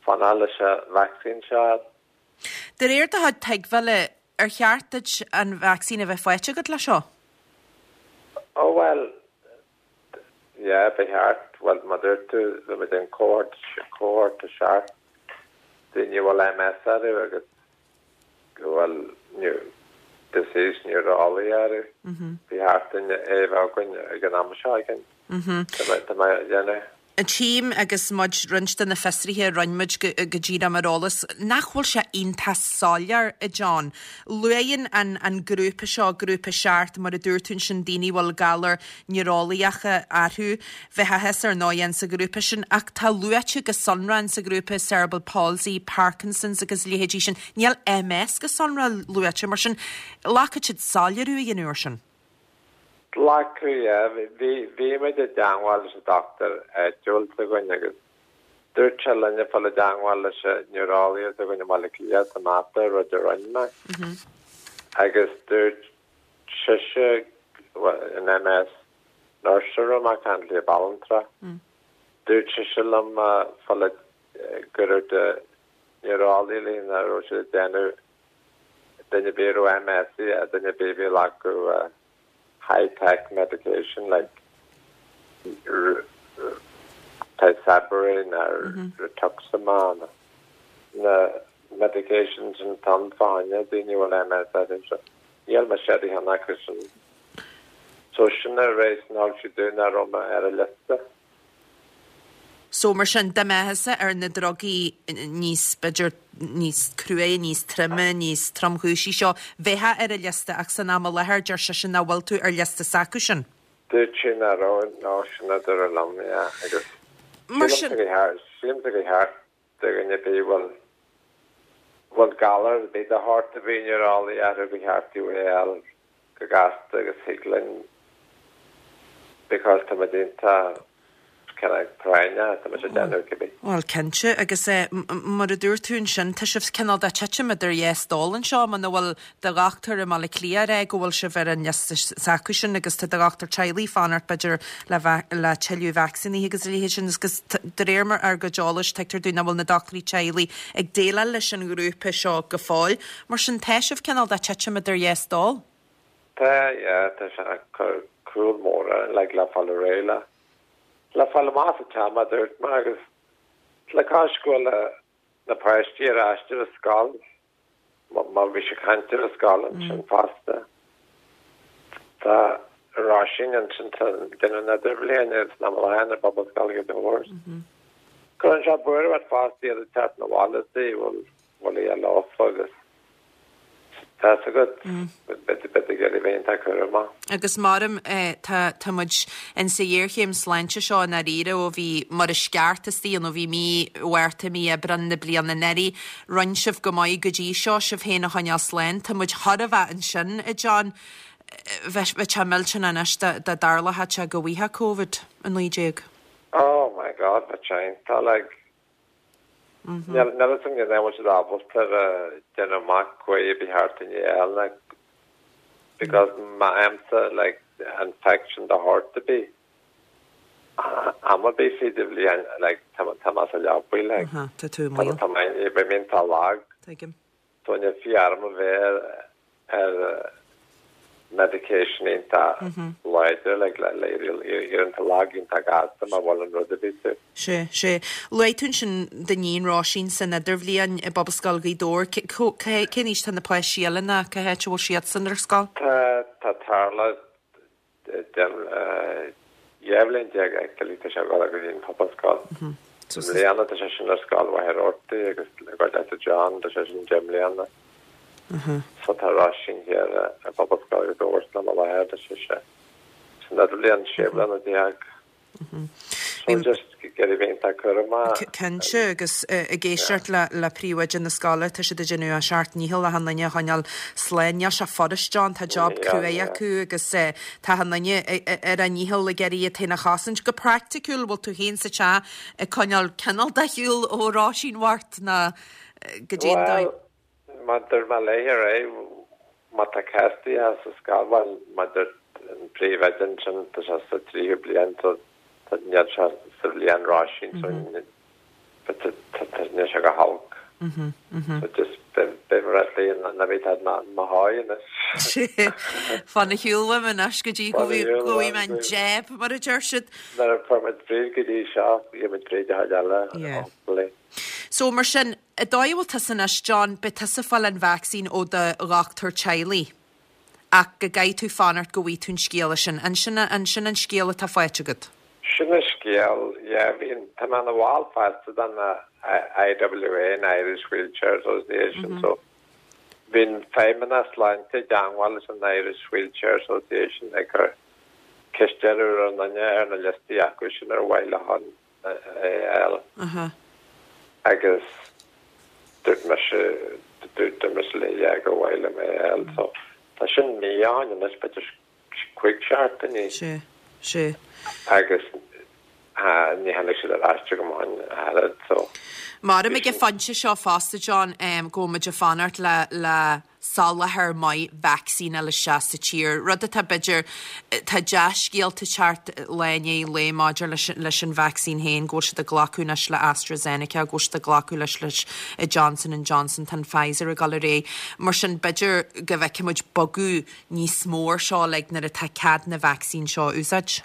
fanna leis an vaccine seo. De réir do chuid tuigbheála ar cheart duit an vacsaín a bheith faighte agat le seo? Oh well yeah, ba cheart well mar dúirt tú le me den cohort cohort a seacht daoine bhfuil MS orthu agus go bhfuil new disease neurology orthu. Ba cheart dúinn é a bheith againn ag an am seo againn. Tá mé déanamh. An tím agus muid roinnt de na fiosruithe rinne muid go go dtí am ar eolas, nach bhfuil sé iontach soiléir a John. Luann an, an grúpa seo grúpa seacht mar a dúirt tú sin daoine bhfuil galar neuralaíocha orthu bheith ar ndóigh sa ghrúpa sin ach tá luaite go sonrach sa ghrúpa cerebral palsy, Parkinson's agus leithéidí sin. Níl MS go sonrach luaite mar sin caithfidh siad soiléiriú a dhéanamh sin. Glacadh bhí bhí muid i dteagmháil leis an doctor áitiúil s'againn agus dúirt sé linne fáil i dteagmháil leis an neuralaí s'againn i mBaile Átha Cliath Samantha rud a rinne mé. Agus dúirt sise an MS nurse a caint le Ballantra. Dúirt sise liom fáil go raibh de neuralaí linn a raibh siad ag déanamh duine a bhí MS a duine a bhí acu high-tech medication like Tysabri or mm -hmm. Rituximab na medications an tam fáine daoine bhfuil MS orthu níl me sé han acu sin so sin a rééis ná si dúna roma ar a liosta. So mar sin dá mbeifeása ar na drugaí níos b'fhéidir níos cruaí, níos troime, níos tromchúisí seo bheifeá ar a liosta ach san am i láthair deir sé sin nach bhfuil tú ar liosta s'acu sin. Dúirt sin a rá ná sin a dúradh liom agus Mar sin sílim go cheart do dhuine bhí bhfuil bhfuil galar bhí de shórt a bhí neuralaí orthu go cheart é go gasta agus thig linn because tá muid iontach kind of práinneach, tá muid ag déanamh cibé. Bhuel, cinnte, agus mar a dúirt tú ansin, tá sibh cineál de titim idir dhá stól anseo, muna bhfuil do dhochtúir i mBaile Átha Cliath ag rá go bhfuil sibh ar an liosta s'acusan agus tá do dhochtúir teaghlaigh fanacht b'fhéidir le le tuilleadh vacsaíní agus a leithéid sin agus de réir mar ár gcuid eolais tuigtear dúinn nach bhfuil na dochtúirí teaghlaigh ag déileáil leis an ghrúpa seo go fóill. Mar sin tá sibh cineál de titim idir dhá stól. Tá, yeah, tá sé ag cur cúl mór orainn like le fáil réidh le le fáil amach as an teach mar a dúirt mé agus le cois go bhfuil na páistí ar ais ar an scoil má bhí sé caint ar an scoil ansin fosta. Tá Róisín ansin tá duine na idirbhliain agus na mbliana ar Phobalscoil Ghaoth Dobhair. Cuireann sé buaireamh ort fosta iad ag teacht 'na bhaile is bhfuil bhfuil iad lofa agus Tá a fhios agat, beidh ag iarraidh bheith iontach cúramach. Agus maram tá tá muid in sa ghéarchéim sláinte seo i ndáiríre ó bhí mar is ceart istigh nó bhí mí Mhárta, mí Aibreán na bliana anuraidh. Rinne sibh go maith go dtí seo sibh féin a choinneáil slán. Tá muid chóir a bheith ansin, a John. Bheadh sé millteanach anois dá dá dtarlódh sé go bhfaigheadh Covid a naoi déag. Oh my God, bheadh sé iontach like. Níl a fhios agam an bhfuil siad ábalta déanamh amach caoi a bhí thart i ndiaidh eile because má fhaighimse like infection de shórt ar bith am ar bith fríd an bhliain like tá tá mé sa leabaidh like Aha, tá tú i mbaol. tá mé beidh mé iontach lag. Tuigim. So ní féidir liom a bheith ar medication iontach láidir like le le iontach lag iontach gasta má bhuaileann rud ar bith tú. Sé, sé. Luaigh tú ansin d'iníon Róisín san idirbhliain i bPobalscoil Ghaoth Dobhair. Cén aois tá na páistí eile ná cá háit a bhfuil siadsan ar scoil? Tá tá Tarla dhá bhliain déag actually tá sé ag dul go dtí an Pobalscoil. I mbliana tá sé sin ar scoil Mhachaire Rabhartaigh agus ag dul le John tá sé sin deich mbliana. So tá Róisín thiar i bPobalscoil Ghaoth Dobhair sna Mallaithe tá sé sé san idirbhliain sé bliana déag. So just iarraidh bheith iontach cúramach. Cinnte agus ag éisteacht le le príomhoide na scoile tá siad ag déanamh a seacht ndícheall achan duine a choinneáil slán. Níl sé furast John, tá job cruaidh acu agus tá achan duine ar a ndícheall ag iarraidh iad féin a chosaint. Go praiticiúil bhfuil tú féin sa teach ag coinneáil cineál de shiúl ó Róisín bhocht ná go dtí an dóigh. Bhuel, mar dúirt mé léi ar aghaidh, má tá cás sa scoil, bhuel, mar dúirt an príomhoide ansin tá sé sa tríú bliain so tá níl sé sa bhliain Róisín so níl sé go holc. So just beidh mé léi ná bí tá mo sháith anois. Fan ar shiúl uaim anois go dtí go bhfaighidh mé an jab mar a deir siad. Nuair a fuair muid fríd go dtí seo, gheobhaidh muid fríd a chuid eile, hopefully. So mar sin, an dóigh a bhfuil tusa anois, John, beidh tusa ag fáil an vacsaín ó do dhochtúir teaghlaigh ach go gcaithfidh tú fanacht go bhfaighidh tú an scéala sin. An sin an sin an scéal atá faighte agat? Sin an scéal, yeah, bhí tá mé ina bhall fosta den IWA, an Irish Wheelchair Association, so bhí an Feidhmeannas Sláinte i dteagmháil leis an Irish Wheelchair Association ag cur ceist ar an duine ar na liostaí acu sin ar mhaith leo an é a fháil. Agus dúirt mise dúirt mise léi yeah gur mhaith liom é a fháil, so tá sin mí ó shin anois, b'fhéidir cúig seachtainí. Sé, sé. Agus ní tháinig siad ar ais chugam ó shin a oiread, so. Maram ag an phointe seo fosta, John, go bhfuil muid ag fanacht le le soláthar maith vacsaín a fháil isteach sa tír, rud atá b'fhéidir, tá dea-scéalta teacht lá i ndiaidh lae maidir leis leis an vacsaín féin, go bhfuil siad ag glacadh anois le AstraZeneca, go bhfuil siad ag glacadh leis leis Johnson and Johnson, tá an Pfizer ag dul ar aghaidh. Mar sin b'fhéidir go bhfeicfidh muid bogadh níos mó ar seo like nuair atá cead na vacsaín seo a úsáid.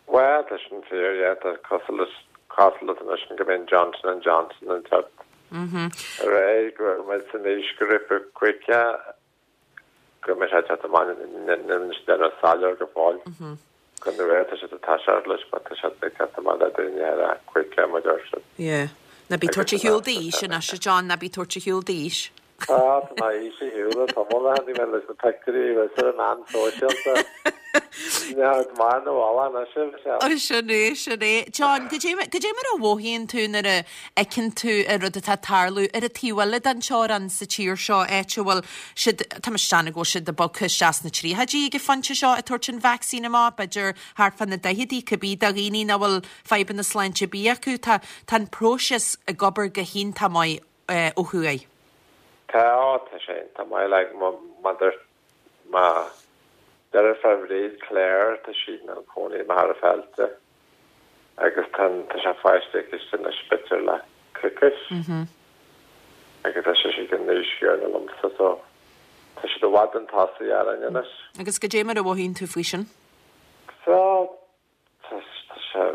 Bhuel, tá sin fíor, yeah, tá cosúil leis cosúil leis anois go mbíonn Johnson and Johnson ag teacht ar aghaidh, go bhfuil muid san aoisghrúpa caoga, go mbeidh sé ag teacht amach, níl sé déanamh soiléir go fóill. Go nuair tá siad ag toiseacht leis, but tá siad ag teacht amach le daoine ar a caoga, mar deir siad. Yeah. Ná bí ag tabhairt ar shiúl d'aois anois, a John, ná bí ag tabhairt ar shiúl d'aois. Tá, tá mé théis ar shiúl le tamall a tháinig mé leis na pictiúirí a bhí ar na meáin sóisialta. Tá maith nó mhaith anois, a Mhichelle. Ó, sin é, sin é. John, goidé goidé mar a mhothaíonn tú nuair a fheiceann tú an rud atá ag tarlú ar an taobh eile den teorainn sa tír seo, áit a bhfuil siad, tá mé ag déanamh go bhfuil siad ag bogadh isteach sna tríochaidí ag an phointe seo ag tabhairt an vacsaín amach, b'fhéidir thart fá na daicheadaí, cibé do dhaoine nach bhfuil fadhbanna sláinte ar bith acu. Tá tá an próiseas ag obair go hiontach maith ó thuaidh. Tá, tá sé iontach maith, like, má má dúirt mo dheirfiúr Bhríd, Claire, tá sí ina cónaí i Machaire Fáilte agus tá tá sé faighte aici anois b'fhéidir le coicís agus tá sé ag an aois chéanna liomsa so tá siad i bhfad chun tosaigh orainn anois. Agus goidé mar a mhothaíonn tú faoi sin? So tá tá sé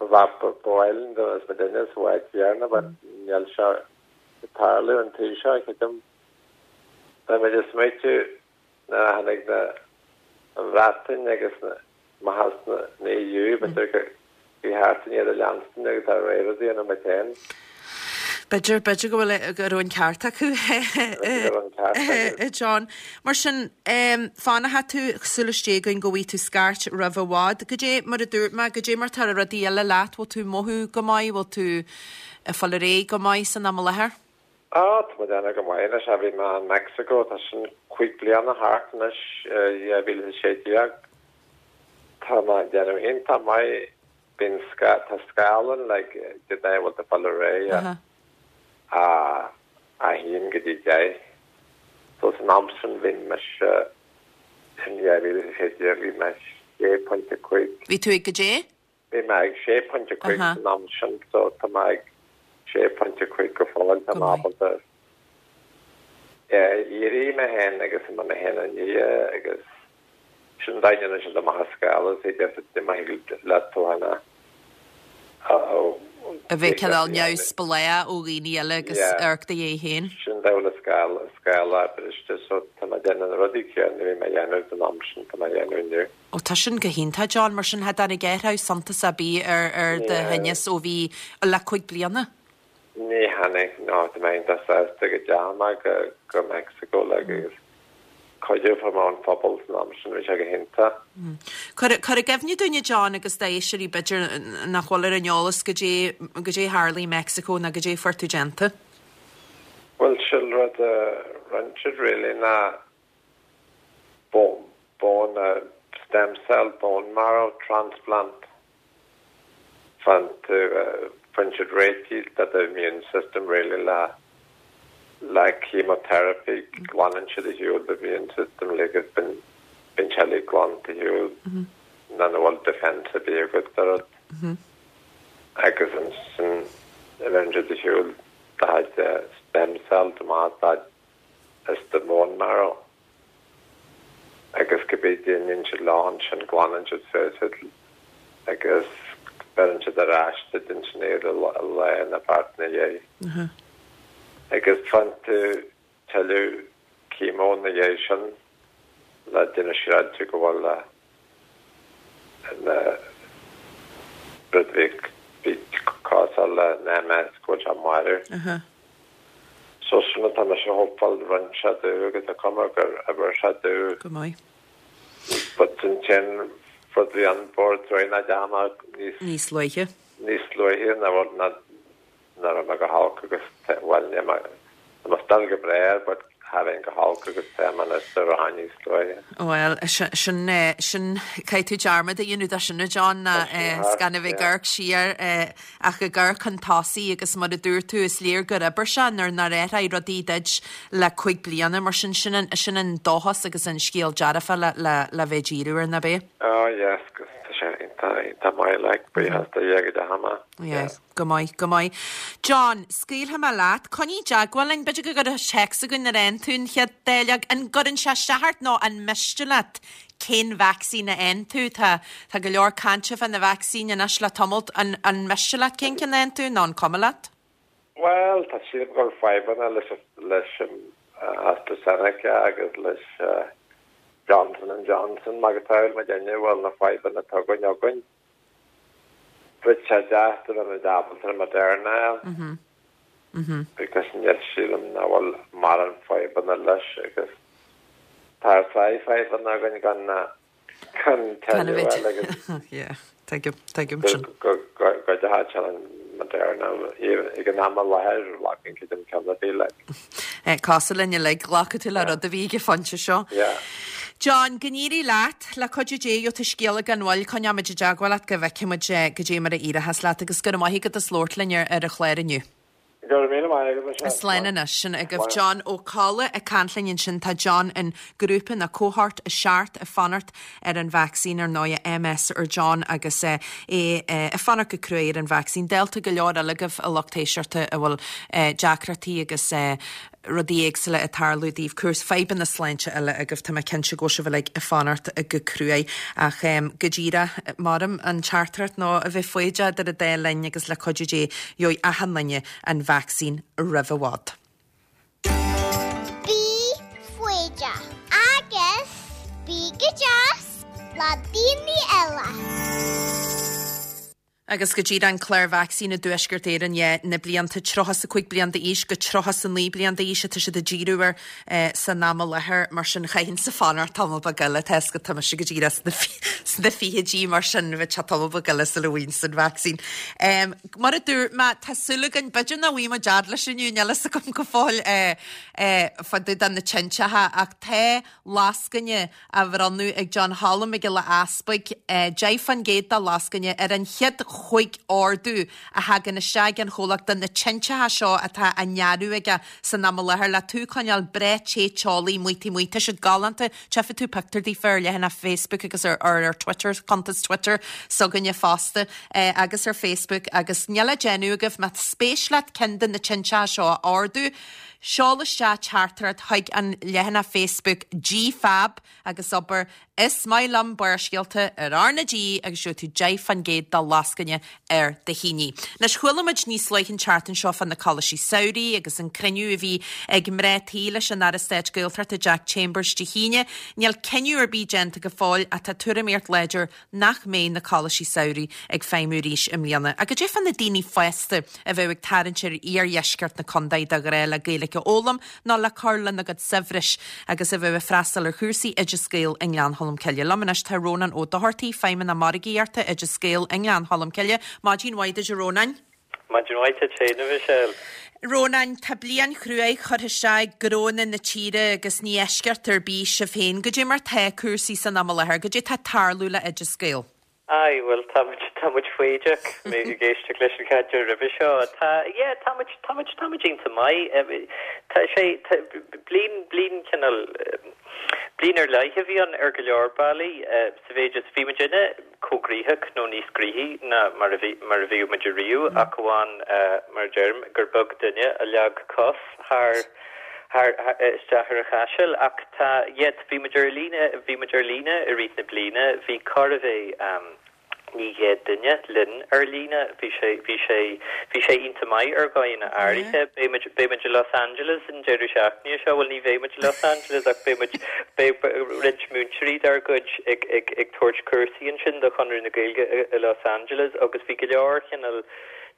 ba ba ba mhaith linn go mbeadh muidinne sa áit chéanna but níl sé ag tarlú an tí seo, creidim. Beidh muid ag smaoitiú nuair a tháinig na an Bhreatain agus na amach as na E U, b'fhéidir gur cheart dúinn iad a leanstan agus ár réir a dhéanamh muid féin. B'fhéidir, b'fhéidir go bhfuil, go raibh an ceart acu, B'fhéidir go raibh an ceart acu. a John. Mar sin, fanfaidh tú, súil istigh againn go bhfaighidh tú scairt roimh i bhfad. Goidé mar a dúirt mé, goidé mar tá rudaí eile leat, bhfuil tú ag mothú go maith, bhfuil tú ag fáil ar aghaidh go maith san am i láthair? Á, tá mé ag déanamh go maith anois. Bhí mé in Mexico, tá sin cúig bliana thart anois, dhá mhíle is a sé déag. Tá mé ag déanamh iontach maith. Bíonn tá scála ann like cad é bhfuil tú ag fáil ar aghaidh a a haon go dtí deich. So san am sin bhí mise in dhá mhíle is a sé déag bhí mé sé pointe cúig. Bhí tú ag goidé? Bhí mé ag sé pointe cúig san am sin so tá mé ag sé pointe cúig go fóill. Tá mé ábalta éirí mé féin agus mé féin a ní agus sin daoine anois a amach as scála is féidir má thig leat tú féin a a bheith cineál neamhspleách ó dhaoine eile agus amharc do do dhiaidh féin. Sin dul scála scála briste so tá mé ag déanamh na rudaí céanna a bhí mé a dhéanamh san am sin tá mé a dhéanamh inniu. Ó tá sin go hiontach John, mar sin cha dtáinig athrú suntasach ar bith ar ar do thinneas ó bhí le cúig bliana? Ní tháinig, no, tá mé iontach sásta go dteachaigh mé go go Mexico le agus cuidiú fuair mé ón phobal san am sin, bhí sé go hiontach. Cuir cuir i gcuimhne dúinne John agus d'éisteoirí b'fhéidir nach bhfuil ar an eolas goidé goidé tharla i Mexico nó goidé fuair tú déanta. Bhuel sin rud a rinne siad really ná bone bone stem cell bone marrow transplant fan tú faigheann siad réitigh do do immune system really le le chemotherapy glanann siad ar shiúl do immune system le agus bíonn bíonn sé uilig glanta ar shiúl ná na bhfuil defence ar bith agat do rud agus ansin bheireann siad ar shiúl do chuid stem cells amach as do bone marrow agus cibé déanann siad leo ansin glanann siad suas iad agus beireann siad ar ais duit ansin iad lá nó beirt ina dhiaidh. Agus faigheann tú tuilleadh chemo ina dhiaidh sin le déanamh siúráilte go bhfuil na rud bhí bhí cosúil le M S go bhfuil sé marbh. So sin atá mise a hopáil rinne sé domh agus tá cuma gur oibir sé domh. Go maith. But ansin rud bhí an bord tar ná deama níos Níos luaithe. níos luaithe ná ná ná raibh mé go holc agus bhuel ní mé tá mé still go breá but cha bheinn go holc agus tá mé anois do rá níos luaithe. Bhuel, sin sin caithfidh tú dearmad a dhéanamh de sin a John ná 's gan a bheith ag amharc siar ach ag amharc chun tosaigh agus mar a dúirt tú is léir gur oibir sé nuair nár athraigh rudaí duit le cúig bliana mar sin sin an sin an dóchas agus an scéal dearfa le le le bheith ag díriú air nach ea? Oh yes, 'cause tá sé iontach iontach maith like buíochas do Dhia go dteachaigh mé. Yes, go maith, go maith. John, scaoilfidh mé leat, coinnigh i dteagmháil linn, b'fhéidir go gcuirfidh téacs againn nuair a fhaigheann tú an chéad dáileog. An gcuireann sé isteach ort nó an miste leat cén vacsaín a fhaigheann tú? Tá tá go leor cainte fá na vacsaíní anois le tamalt. An an miste leat cén ceann a fhaigheann tú nó an cuma leat? Bhuel, tá sílim go bhfuil fadhbanna leis leis an AstraZeneca agus leis Johnson and Johnson mar go bhfuil muid inniu bhfuil na fadhbanna atá againn againn. Bheadh sé deas dá mbeadh muid ábalta Moderna. Because níl sílim nach bhfuil mórán fadhbanna leis agus tá saghas fadhbanna againn gan gan tuilleadh agus Yeah, tuigim, tuigim sin. go go go dehacha an Moderna ag an am i láthair glacann creidim ceann ar bith like. Cosúil linn uilig glacfaidh tú le rud a bhí ag an phointe seo. Yeah. John, go n-éirí leat le cuidiú Dé gheobhaidh tú scéala gan mhoill coinneoidh muid i dteagmháil leat go bhfeicfidh muid goidé mar a éireochas leat agus go raibh maith agat as labhairt linn ar ar an chlár inniu. Go raibh míle maith agat Michelle. Slán anois sin agaibh John Ó Colla ag caint linn ansin tá John in grúpa na cohort a seacht ag fanacht ar an vacsaín ar ndóigh MS ar John agus é ag fanacht go cruaidh ar an vacsaín. Dálta go leor eile agaibh a lucht éisteachta a bhfuil deacrachtaí agus rudaí éagsúla ag tarlú daoibh cúrsaí fadhbanna sláinte eile agaibh tá mé cinnte go bhfuil sibh uilig ag fanacht go cruaidh ach go díreach maram an teachtaireacht nó a bheith foighdeach idir an dá linn agus le cuidiú Dé gheobhaidh achan duine an vacsaín roimh i bhfad. Bí foighdeach agus bí go deas le daoine eile. Agus go dtí an clár vacsaín i dTuaisceart Éireann dhe na blianta tríocha a cúig bliain d'aois go tríocha a naoi bliain d'aois atá siad ag díriú air san am i láthair mar sin chaithfinnse fanacht tamall beag eile tá go tá mise go díreach sna fichidí mar sin bheadh sé tamall beag eile sula bhfaighinn an vacsaín. Um, mar a dúirt mé tá súil againn b'fhéidir nach bhfaighidh muid fhad leis inniu níl a fhios agam go fóill fá dtaobh de na tinteacha ach tá lascaine á bhronnadh ag John Holm Mac Giolla Easpaig deich faoin gcéad de lascaine ar an chéad chúig ordú a thagann isteach an chomhlacht de na tinteacha seo atá á ndearadh aige san am i láthair le tú coinneáil breá te teolaí maotaí maotaí Tá siad galánta tchífidh tú pictiúr daofa ar leathanach Facebook agus ar ar ar Twitter cuntas Twitter s'againne fosta eh, agus ar Facebook agus níl le déanamh agaibh má spéis leat ceann de na tinteacha seo a ordú. Seol isteach teachtaireacht chuig an leathanach Facebook GFAB agus abair is maith liom Barrscéalta ar R na G agus gheobhaidh tú deich faoin gcéad de lascaine ar do thine. Anois chuala muid níos luaithe an tseachtain seo fá na coláistí samhraidh agus an cruinniú a bhí ag mná tí leis an Aire Stáit Gaeltachta Jack Chambers Dé hAoine, níl cinneadh ar bith déanta go fóill ach tá tuairimíocht láidir nach mbeidh na coláistí samhraidh ag feidhmiú arís i mbliana. Agus goidé fá na daoine fásta a bheith ag tarraingt ar iardheisceart na contae de ghnáth le Gaeilge a fhoghlaim nó le cur lena gcuid saibhris agus a bheith ag freastal ar chúrsaí Oideas Gael i nGleann Cholm Cille. Liom anois tá Rónán Ó Dochartaigh, Feidhmeannach Margaíochta Oideas Gael i nGleann Cholm Cille, Maidin mhaith duit a Rónáin. Maidin mhaith duit féin a Mhichelle. Rónán tá bliain chruaidh curtha isteach gnónna na tíre agus ní eisceacht ar bith sibh féin, goidé mar tá cúrsaí san am i láthair, goidé tá ag tarlú le Oideas Gael. Ai, well tá tá muid foighdeach mé ag éisteacht leis an chainteoir roimhe seo. Tá yeah, tá muid tá muid tá muid iontach maith. Tá sé bliain bliain cineál bliain ar leith a bhí ann ar go leor bealaí sa mhéid is bhí muid inne chomh gnoitheach nó níos gnoithí ná mar a bhí mar a bhí muid riamh ach amháin mar deirim gur beag duine a leag cos thar thar isteach ar an chaiseal ach tá yet bhí muid ar líne bhí muid ar líne i rith na bliana bhí chóir a bheith um, naoi gcéad duine linn ar líne bhí sé bhí sé bhí sé iontach maith ar dhóigheanna áirithe beimid beimid i Los Angeles an deireadh seachtaine seo bhuel ní bheimid i Los Angeles ach beimid beidh roinnt múinteoirí dár gcuid ag ag ag tabhairt cúrsaí ansin do Chonradh na Gaeilge i, i Los Angeles agus bhí go leor cineál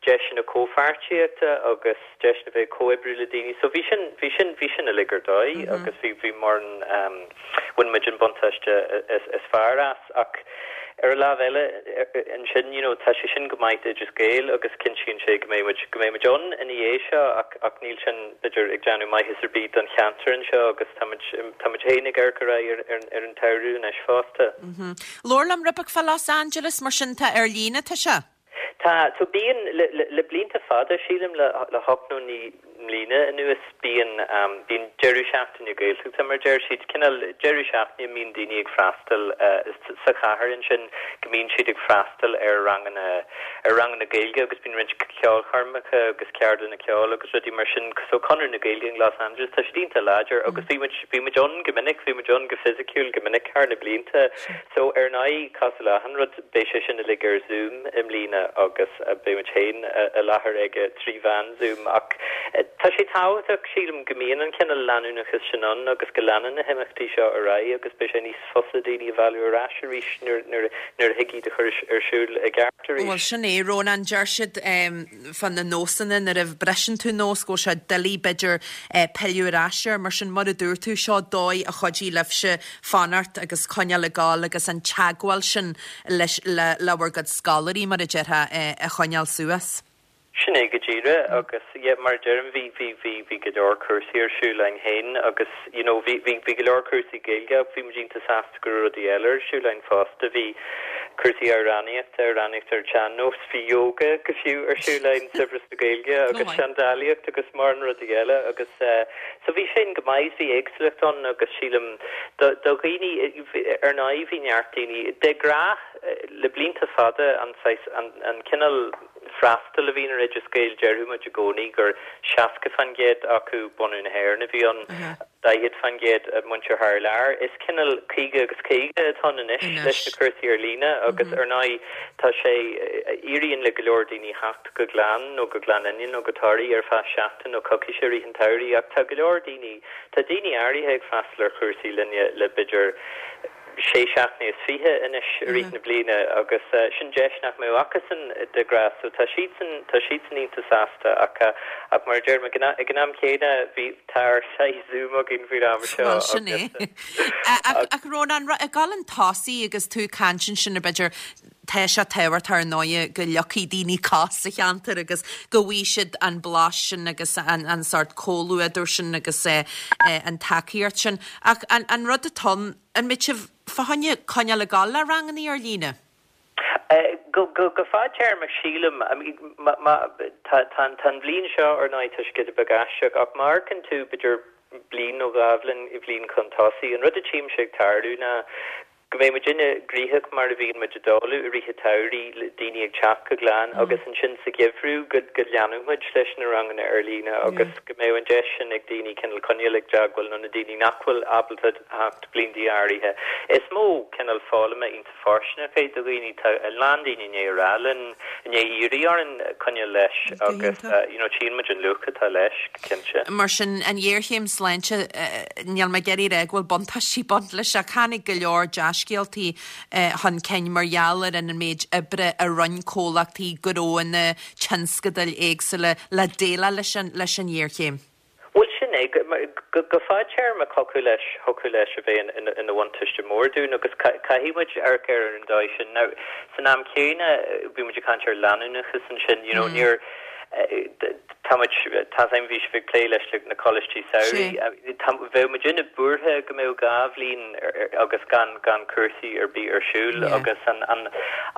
deiseanna comhpháirtíochta agus deiseanna bheith comhoibriú le daoine so bhí sin bhí sin bhí sin uilig ar dóigh mm -hmm. agus bhí bhí mar um, bhain muid an buntáiste is, is fearr as ach ar an lámh eile ansin you know, tá sé sin go maith Oideas Gael agus cinntíonn sé go mbeidh go mbeidh muid ann ina dhiaidh seo ach ach níl sin b'fhéidir ag déanamh maitheas ar bith don cheantar anseo agus tá tá féin ag ar ar ar ar an tsamhradh anois fosta. Mm -hmm. Labhair liom rud beag fá Los Angeles mar sin tá ar líne tá sé? Tá so bíonn le, le, le blianta fada sílim le, le hocht nó naoi mbliana anuas bíonn um, bíonn deireadh seachtaine Gaeltachta mar deir siad cineál deireadh seachtaine mbíonn daoine ag freastal uh, sa chathair ansin go mbíonn siad ag freastal ar ranganna ar ranganna Gaeilge agus bíonn roinnt ceolchoirmeacha agus ceardlanna ceoil agus rudaí mar sin so Conradh na Gaeilge in Los Angeles tá siad iontach láidir agus bhí muid bhí muid ann go minic bhí muid ann go fisiciúil go minic thar na blianta so ar ndóigh cosúil le achan rud beidh sé sin uilig ar Zoom i mbliana agus uh, beidh muid féin i láthair aige trí mheán Zoom ach Tá sé tábhachtach, sílim, go mbíonn an cineál leanúnachas sin ann agus go leanann na himeachtaí seo ar aghaidh agus beidh sé níos fusa daoine a mhealladh ar ais arís nuair nuair nuair a thig iad a chur ar siúl i gceart arís. Bhuel, sin é, Rónán, deir siad fá na nósanna nuair a bhriseann tú nós go bhfuil sé doiligh b'fhéidir pilleadh ar ais air, mar sin mar a dúirt tú, seo dóigh a chuidigh libhse fanacht agus coinneáil ag gabháil agus an teagmháil sin leis le le bhur gcuid scoláirí mar a déarfá a choinneáil suas. Sin é go díreach agus yeah mar a deirim bhí bhí bhí bhí go leor cúrsaí ar siúl againn féin agus you know bhí bhí bhí go leor cúrsaí Gaeilge ach bhí muid iontach sásta go raibh rudaí eile ar siúl againn fosta. Bhí cúrsaí amhránaíochta, amhránaíocht ar an tsean-nós, bhí yoga go fiú ar siúl againn, saibhreas na Gaeilge agus seandálaíocht agus mórán rudaí eile agus eh so bhí sin go maith, bhí éagsúlacht ann agus sílim do do dhaoine ar ndóigh bhí neart daoine de ghnáth le blianta fada an saghas an an cineál freastal a bhíonn ar Oideas Gael, déarfadh muid i gcónaí gur seasca faoin gcéad acu bunadh na hÉireann a bhí ann, daichead faoin gcéad muintir thar lear. Is cineál caoga agus caoga atá ann anois leis na cúrsaí ar líne agus ar ndóigh tá sé, éiríonn le go leor daoine theacht go Gleann nó go Gleann Fhinne nó go Toraigh ar feadh seachtain nó coicíse i rith an tsamhraidh ach tá go leor daoine, tá daoine áirithe ag freastal ar chúrsaí linne le b'fhéidir sé seachtaine is fiche anois i rith na bliana agus sin deis nach mbeadh acusan de ghnáth so tá siadsan tá siadsan iontach sásta ach ach mar a deirim ag an ag an am céanna bhí tá ár saghas Zoom againn faoin am seo Bhuel sin é. Ach ach Rónán ag dul chun tosaigh agus tú ag caint ansin ar b'fhéidir tá sé tábhachtach ar ndóigh go leagfaidh daoine cos sa cheantar agus go bhfaighidh siad an blas sin agus an an sórt comhluadar sin agus an tacaíocht sin. Ach an an rud atá ann, an mbeidh sibh fá choinne coinneáil ag gabháil le rangannaí ar líne? Go go go fadtéarmach sílim, má má tá tá tá an bhliain seo ar ndóigh tá sé giota beag aisteach ach má amharcann tú b'fhéidir bliain nó dhá bhliain bhliain chun tosaigh, an rud a tchímse ag tarlú ná go mbeidh muidinne gnoitheach mar a bhíonn muid ag dul i rith an tsamhraidh, le daoine ag teacht go Gleann agus ansin sa gheimhreadh go go leanfadh muid leis na ranganna ar líne agus go mbeadh an deis sin ag daoine cineál coinneáil ag teagmháil nó na daoine nach bhfuil ábalta theacht blianta áirithe. Is modh cineál foghlama iontach fóirsteanach é do dhaoine. Tá a lán daoine i ndiaidh a rá linn, i ndiaidh iarraidh orainn coinneáil leis agus you know tchíonn muid an luach atá leis, go cinnte. Mar sin, an ghéarchéim sláinte, níl mé ag iarraidh a rá go bhfuil buntáistí ag baint leis ach tháinig go leor dea-scéaltaí chun cinn mar gheall ar an méid oibre a rinne comhlachtaí, gnóanna, tionscadail éagsúla le déileáil leis an leis an ghéarchéim. Bhuel, sin é. Go fadtéarmach thiocfadh leis, thiocfadh leis a bheith ina bhuntáiste mór dúinn agus caithfidh muid amharc air ar an dóigh sin. Now, san am céanna, bhí muid ag caint ar leanúnachas ansin, you know, níor, tá muid, tá a fhios agam, bhí sibh ag plé leis na coláistí samhraidh, tá, bheadh muidinne buartha go mbeadh dhá bhliain agus gan, gan cúrsaí ar bith ar siúl agus an, an,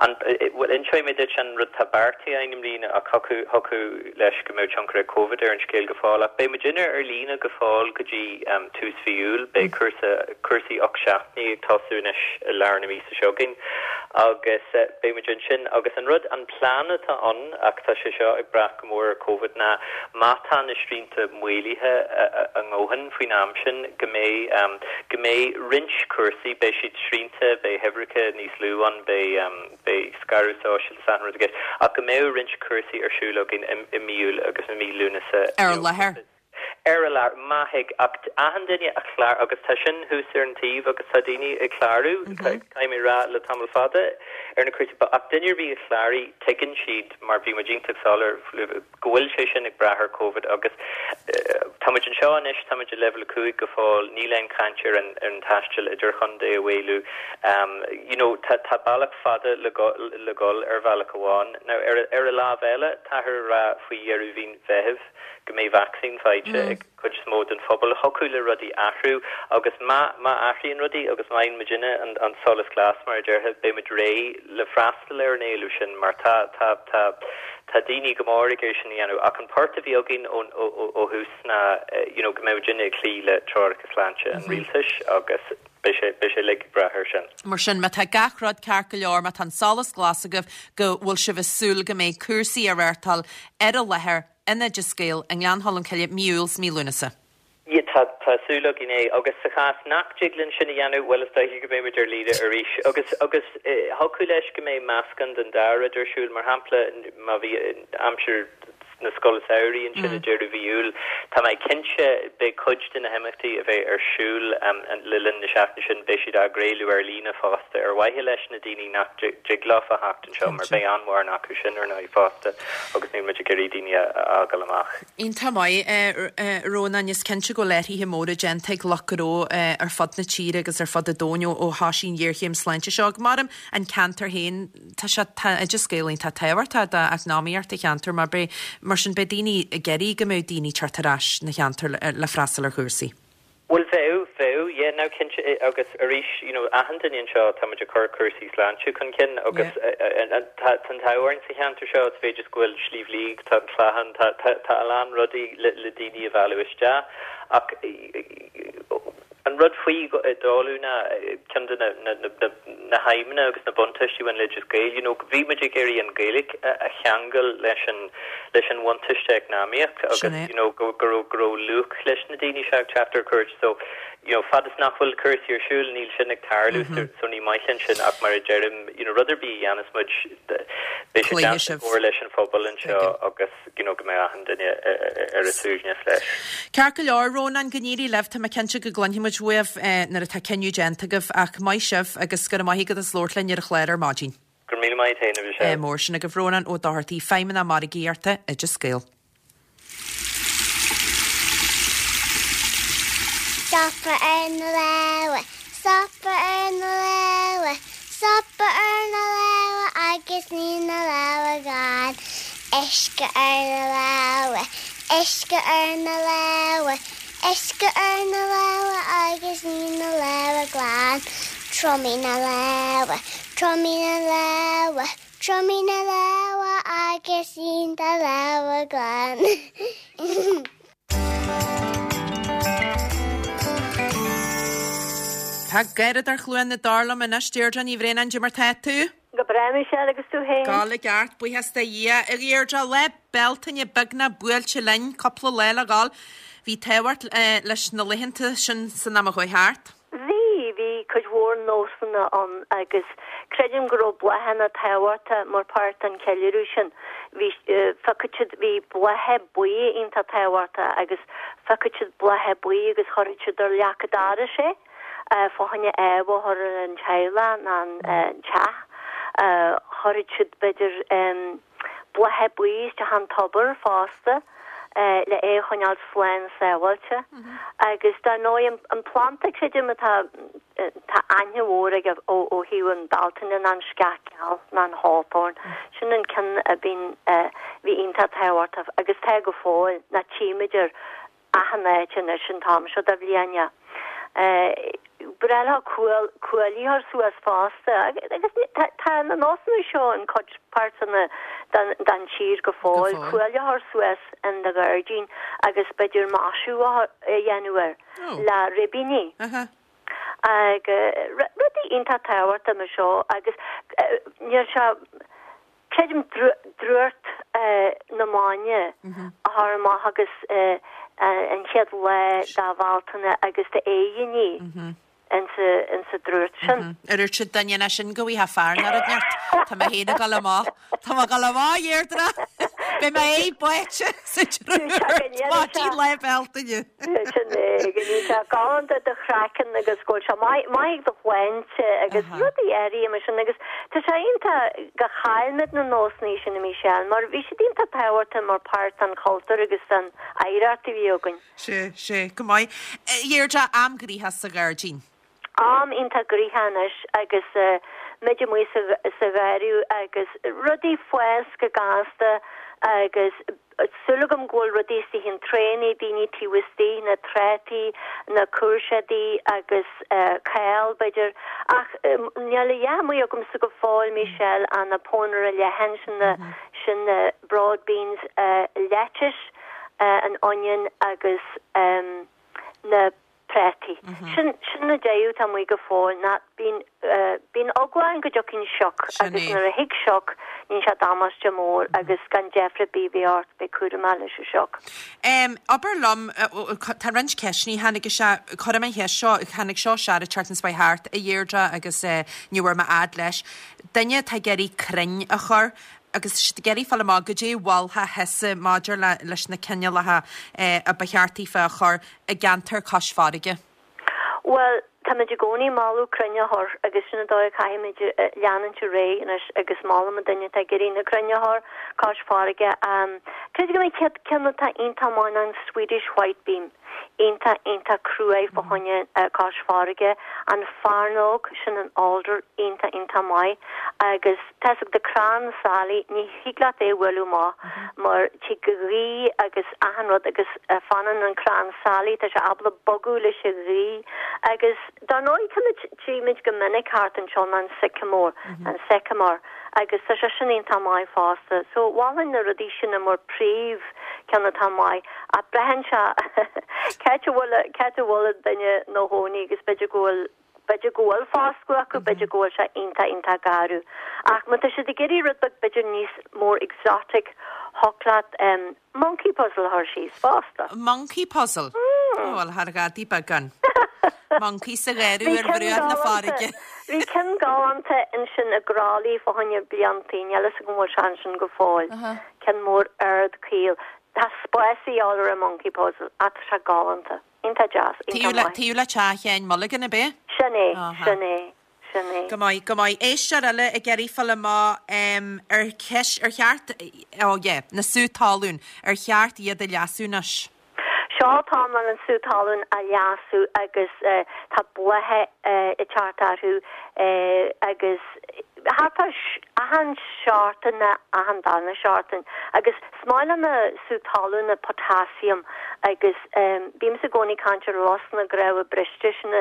an, bhuel, inseoidh mé duit an rud atá beartaithe againn i mbliana ach thiocfadh, thiocfadh leis go mbeadh tionchar ag Covid ar an scéal go fóill ach beidh muidinne ar líne go fóill go dtí tús mhí Iúil. Beidh cúrsa, cúrsaí ocht seachtainí ag tosú anois i lár na míosa seo chugainn agus beidh muid ansin agus an rud, an plean atá ann ach tá sé seo ag brath go mór ar Covid ná má tá na srianta maolaithe a ndóthain faoin am sin go mbeidh, go mbeidh roinnt cúrsaí, beidh siad srianta, beidh huimhreacha níos lú ann, beidh. beidh scaradh sóisialta is achan rud i gceist, ach go mbeadh roinnt cúrsaí ar siúl againn i mí Iúil agus i mí Lúnasa. Ar an láthair. Ar an láthair, má thig, ach achan duine a chlár, agus tá sin thuas ar an taobh agus tá daoine ag clárú, caithfidh mé a rá, le tamall fada ar na cúrsaí, ach duine ar bith a chláraigh, tuigeann siad, mar bhí muid iontach soiléir, go bhfuil sé sin ag brath ar Covid agus tá muid anseo anois, tá muid i leibhéal a cúig go fóill, níl aon chaint ar an ar an taisteal idirchontae a mhaolú. You know tá tá bealach fada le le dhul ar bhealach amháin. Now ar ar an lámh eile, táthar ag rá faoi dheireadh mhí Mheithimh go mbeidh vacsaín faighte ag cuid is mó den phobal. Thiocfadh le rudaí athrú agus má má athraíonn rudaí agus má fhaigheann muidinne an an solas glas mar a déarfá, beidh muid réidh le freastal ar an éileamh sin mar tá tá tá tá daoine go mór ag iarraidh sin a dhéanamh ach an port a bhí againn ón ó ó ó thús ná you know go mbeadh muidinne ag cloí le treoracha sláinte an rialtais agus beidh sé beidh sé uilig ag brath air sin. Mar sin, má tá gach rud ceart go leor, má tá an solas glas agaibh, go bhfuil sibh ag súil go mbeidh cúrsaí á reáchtáil ar an láthair in Oideas Gael i nGleann Cholm Cille mí Iúil 's mí Lúnasa. Yeah, tá, tá súil againn é. Agus sa chás nach dtig linn sin a dhéanamh, bhuel, is dóiche go mbeidh muid ar líne arís. Agus, agus thiocfadh leis go mbeidh meascán den dá rud ar siúl. Mar shampla, má bhí aimsir na scoil samhraidh ansin i deireadh mhí Iúil. Tá mé cinnte beidh cuid de na himeachtaí a bheidh ar siúl le linn na seachtaine sin, beidh siad á gcraoladh ar líne fosta ar mhaithe leis na daoine nach dtig leofa theacht anseo mar beidh an-mhórán acu sin ar ndóigh fosta agus níl muid ag iarraidh daoine a fhágáil amach. Iontach maith, a Rónáin, is cinnte go bhfuil athruithe móra déanta ag lucht gnó ar fud na tíre agus ar fud an domhain ó thosaigh an ghéarchéim sláinte seo. Mar an ceantar féin, tá sé, tá Oideas Gael iontach tábhachtach d'eacnamaíocht an cheantair mar beidh, mar sin beidh daoine ag iarraidh go mbeadh daoine ag teacht ar ais 'na cheantar le freastal ar chúrsaí. Bhuel bheadh, bheadh, yeah, now cinnte agus arís, you know, achan duine anseo tá muid ag cur cúrsaí sláinte chun cinn agus tá an t-ádh orainn sa cheantar seo, sa mhéid is go bhfuil Sliabh Liag, tá an Clachán, tá, tá, tá a lán rudaí le, le daoine a mhealladh isteach ach An rud faoi Dolu ná ceann de na haidhmeanna agus na buntáistí a bhain le Oideas Gael, you know, bhí muid ag iarraidh an Ghaeilge a cheangal leis an leis an bhuntáiste eacnamaíoch agus, you know, go go raibh go raibh luach leis na daoine seo ag teacht ar cuairt. So, you know, fad is nach bhfuil cúrsaí ar siúl, níl sin ag tarlú, so so ní maith linn sin ach mar a deirim, you know, rud ar bith a dhéanas muid, beidh sé déanta i gcomhar leis an phobal anseo agus, you know, go mbeidh achan duine ar a suaimhneas leis. Ceart go leor, Rónán, go n-éirí libh. Tá mé cinnte go gcluinfidh muid uaibh nuair atá cinneadh déanta agaibh ach maith sibh agus go raibh maith agat as labhairt linn ar an chlár ar maidin. Go raibh míle maith agat féin, a Mhichelle. Mór sin agaibh Rónán Ó Dochartaigh, Feidhmeannach Margaíochta, Oideas Gael. Stopadh ar na lámha, stopadh ar na lámha, stopadh ar na lámha agus ní na lámha glan. Uisce ar na lámha, uisce ar na lámha, uisce ar na lámha agus ní na lámha glan. Triomaigh na lámha, triomaigh na lámha, triomaigh na lámha agus ní do lámha glan. Tá Garradóir Chluain na Dtor liom anois, Deirdre Ní Bhraonáin, Cad é mar tá tú? Go breá, Michelle, agus tú féin? Go i gceart, buíochas do Dhia. A Dheirdre, Lá Bealtaine beagnach buailte linn, cúpla lá le dhul. Bhí tábhacht leis na laethanta sin san am a chuaigh thart. Bhí, bhí cuid mhór nósanna ann agus creidim go raibh bláthanna tábhachtach mar páirt den cheiliúradh sin. Bhí, phiocadh siad, bhí blátha buí iontach tábhachtach agus phiocadh siad blátha buí agus chuirfeadh siad ar leac an dorais é fá choinne ádh a chur ar an teaghlach nó an teach. Chuirfeadh siad b'fhéidir blátha buí isteach an tobar fosta. le é a choinneáil slán sábháilte. Agus dar ndóigh an planda creidim atá tá aithne mhór aige ó ó thaobh an Bealtaine ná an sceach gheal ná an hawthorn. Sin an ceann a bhíonn bhí iontach tábhachtach agus tá go fóill ná tchímid ar achan áit anois an t-am seo de bhliain. Breá leo cuaillí a chur suas fosta agus tá na nósanna seo in cuid páirteanna den tír go fóill, cuaille a chur suas in do ghairdín agus b'fhéidir maisiú a dhéanamh air le ribíní. Agus rudaí iontach tábhachtach mar seo agus níl sé Creidim drúcht na mbainne a chur amach agus an chéad lá de Bhealtaine agus d'fhéiríní insa drúcht sin. Ar dhúirt siad duine ná sin go bhfaighfeá fear ná rud neart. Tá mé féin ag dul amach. Tá mé ag dul amach, a Dheirdre! Beidh mé é báite sa drúcht maidin Lá Bealtaine. Sin é, go mbíonn sé galánta do chraiceann agus go bhfuil sé maith do shláinte agus rudaí áirithe mar sin agus tá sé iontach gur chaill muid na nósanna sin a Michelle mar bhí siad iontach tábhachtach mar páirt den chultúr agus den oidhreacht a bhí againn. Sea, sea, go maith. A Dheirdre, am gnoitheach sa ghairdín. Am iontach gnoitheach anois agus muid amuigh sa gharradh agus rudaí fás go gasta agus súil agam go bhfuil rudaí istigh in traenaí, daoine taobh istigh, na trátaí, na cúirséadaí agus cál b'fhéidir. Ach níl a dhath amuigh agamsa go fóill Michelle ach na pónaire leathan sin na sin na broad beans, lettuce, an onion agus na prátaí. Sin sin na deireadh atá amuigh go fóill ná bíonn bíonn eagla ann go dtiocfaidh sioc agus nuair a thig sioc níonn sé damáiste mór agus gan deifir ar bith a bheith ort bheith cúramach leis an sioc. Em, abair liom, tá roinnt ceisteanna tháinig isteach, cuirfidh mé an cheist seo, tháinig seo isteach an tseachtain seo thart, a Dheirdre, agus eh, ní bhfuair mé fhad leis. Duine atá ag iarraidh crainn a chur, agus tá siad ag iarraidh fáil amach goidé a mholfá thusa maidir le leis na cineálacha a ba cheart daofa a chur i gceantar cois farraige. Bhuel, táimid i gcónaí ag moladh crainn a chur agus sin an dóigh a chaithfimid leanúint ar aghaidh anois agus molaim an duine atá ag iarraidh na crainn a chur cois farraige. Creidim go mbeidh céad ceann atá iontach maith ná an Swedish White Beam, iontach, iontach cruaidh fá choinne cois farraige, an fearnóg, sin an alder, iontach, iontach maith agus tá 'fhios agat crann sailí, ní thig leat é a bhualadh amach mar tig an ghaoth agus achan rud agus fanann an crann sailí, tá sé ábalta bogadh leis an ghaoth agus dar ndóigh táimid, tchímid go minic thart anseo ná an sycamore, an sycamore agus tá sé sin iontach maith fosta. So mholfainn na rudaí sin mar príomh ceann atá maith ach braitheann sé c'áit a bhfuil, c'áit a bhfuil an duine ina chónaí agus b'fhéidir go bhfuil B'fhéidir go bhfuil foscadh acu, b'fhéidir go bhfuil sé iontach, iontach garbh. Ach má tá siad ag iarraidh rud beag b'fhéidir níos more exotic, thiocfadh leat monkey puzzle a chur síos fosta. Monkey puzzle? Mm. Bhuel, thar ghadaí beagán. Monkey sa ghearradh ar bhruach na farraige. Bhí ceann galánta ansin i gCroithlí fá choinne bliantaí, níl fhios agam an bhfuil sé ansin go fóill. Ceann mór ard caol. Tá spás a dhíobháil ar an monkey puzzle ach tá sé galánta. Iontach deas, iontach maith. Taobh le teach Sheáin Mulligan, ab é? Sin é, sin é, sin é. Go maith, go maith. Éisteoir eile ag iarraidh fáil amach ar cheist, ar cheart, oh yeah, na sú talún, ar cheart iad a leasú anois? Seo an t-am leis an sú talún a leasú agus tá blátha ag teacht orthu agus thart ar achan seachtain nó achan darna seachtain agus is maith le na sú talún na potassium agus bímse i gcónaí ag caint ar lus na gcnámha briste sin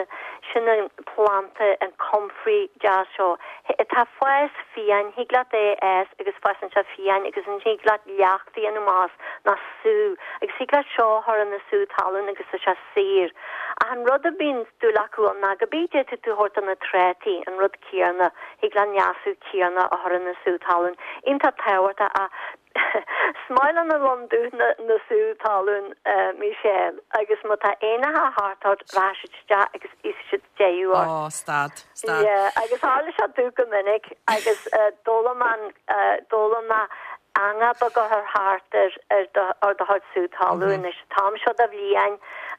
sin an planta an comfrey deas seo atá ag fás fiáin thig leat é a fhás agus fásann sé fiáin agus ansin thig leat leacht a dhéanamh as nó sú agus thig leat seo a chur ina sú talún agus tá sé saor ach an rud a bíonn dúil acu ann ná go bí d'fhéadfadh tú a thabhairt do na trátaí an rud céanna thig leat an leasú céanna a chur ina sú talún iontach tábhachtach ach is maith le na lon dubh na na sú talún Michelle agus má tá éanacha thart ort rachaidh siad isteach agus íosfaidh siad deighiú ort. Ó stad, stad. Yeah agus tharla sé domh go minic agus d'fhoghlaim mé an d'fhoghlaim mé eangach beag a chur thart ar ar do ar do chuid sú talún anois an t-am seo de bhliain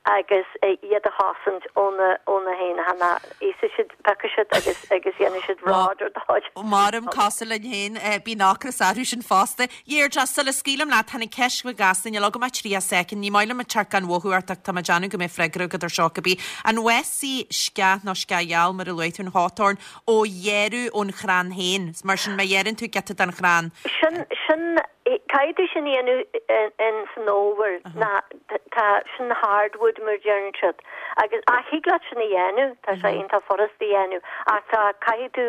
agus iad a chosaint ó na ó na héanacha ná íosfaidh siad piocfaidh siad agus agus dhéanfaidh siad bród ar do chuid. Mairim cosúil linn féin, bíonn ocras orthu sin fosta. Deirdre, sula scaoilim leat, tháinig ceist chuig Gasta, níl agam ach tríocha soicind, ní maith liom ag teacht gan mhothú ort ach tá mé ag déanamh go mbeidh freagra agat ar seo cibé. An bhfásfaidh sceach nó sceach gheal mar a luaigh tú an hawthorn ó ghearradh ón chrann féin? Mar sin má ghearrann tú giota den chrann. Sin, sin, caithfidh tú sin a dhéanamh in san fhómhar ná tá sin hardwood mar deireann siad agus ach thig leat sin a dhéanamh, tá sé iontach furast a dhéanamh ach tá, caithfidh tú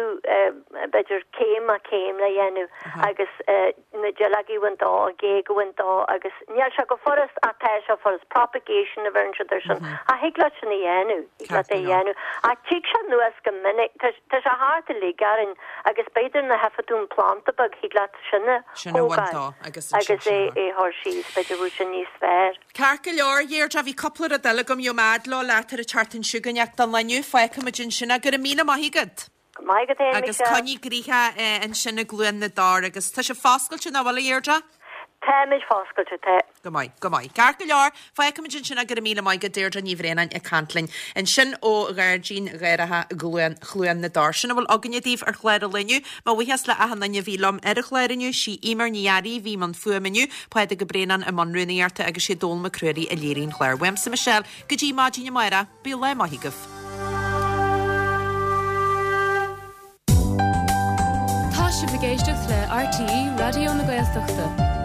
b'fhéidir céim ar chéim le dhéanamh agus na duilleogaí a bhaint dó, an ghéag a bhaint dó agus níl sé go furast ach tá sé furast, propagation a bheireann siad ar sin ach thig leat sin a dhéanamh, thig leat é a dhéanamh ach tig sé anuas go minic, tá sé thart uilig orainn agus b'fhéidir nuair a fheicfidh tú an planda beag thig leat sin a Sin a bhaint thógáil dó agus agus ansin sin é a chur. a chur síos, b'fhéidir bhfuil sin níos fearr. Ceart go leor, a Dheirdre, bhí cúpla rud eile agam, gheobhaidh mé fhad leo leat ar an tseachtain seo chugainn ach don lá inniu fágfaimid ansin é. Go raibh míle maith agat. Go maith agat féin, Agus Michelle. coinnigh gnoitheach ansin i gCluain na dTor agus tá sibh foscailte nach bhfuil a Dheirdre? Táimid foscailte, tá. Go maith, go maith. Ceart go leor, fágfaimid ansin é. Go raibh míle maith agat Deirdre Ní Bhraonáin ag caint linn ansin ó Ghairdín Gharraithe Chluain, Chluain na dTor. Sin a bhfuil againne daoibh ar chlár an lae inniu. Mo bhuíochas le achan duine a bhí liom ar an chlár inniu. Sí Eimear Ní Fhearraigh a bhí i mbun fuaime inniu, Pádraig Ó Braonáin i mbun rúnaíochta agus sé Dónall Mac Ruairí a léirigh an clár. Uaimse Michelle, go dtí maidin amárach, bíodh lá maith agaibh. Tá sibh ag éisteacht le RTÉ Raidió na Gaeltachta.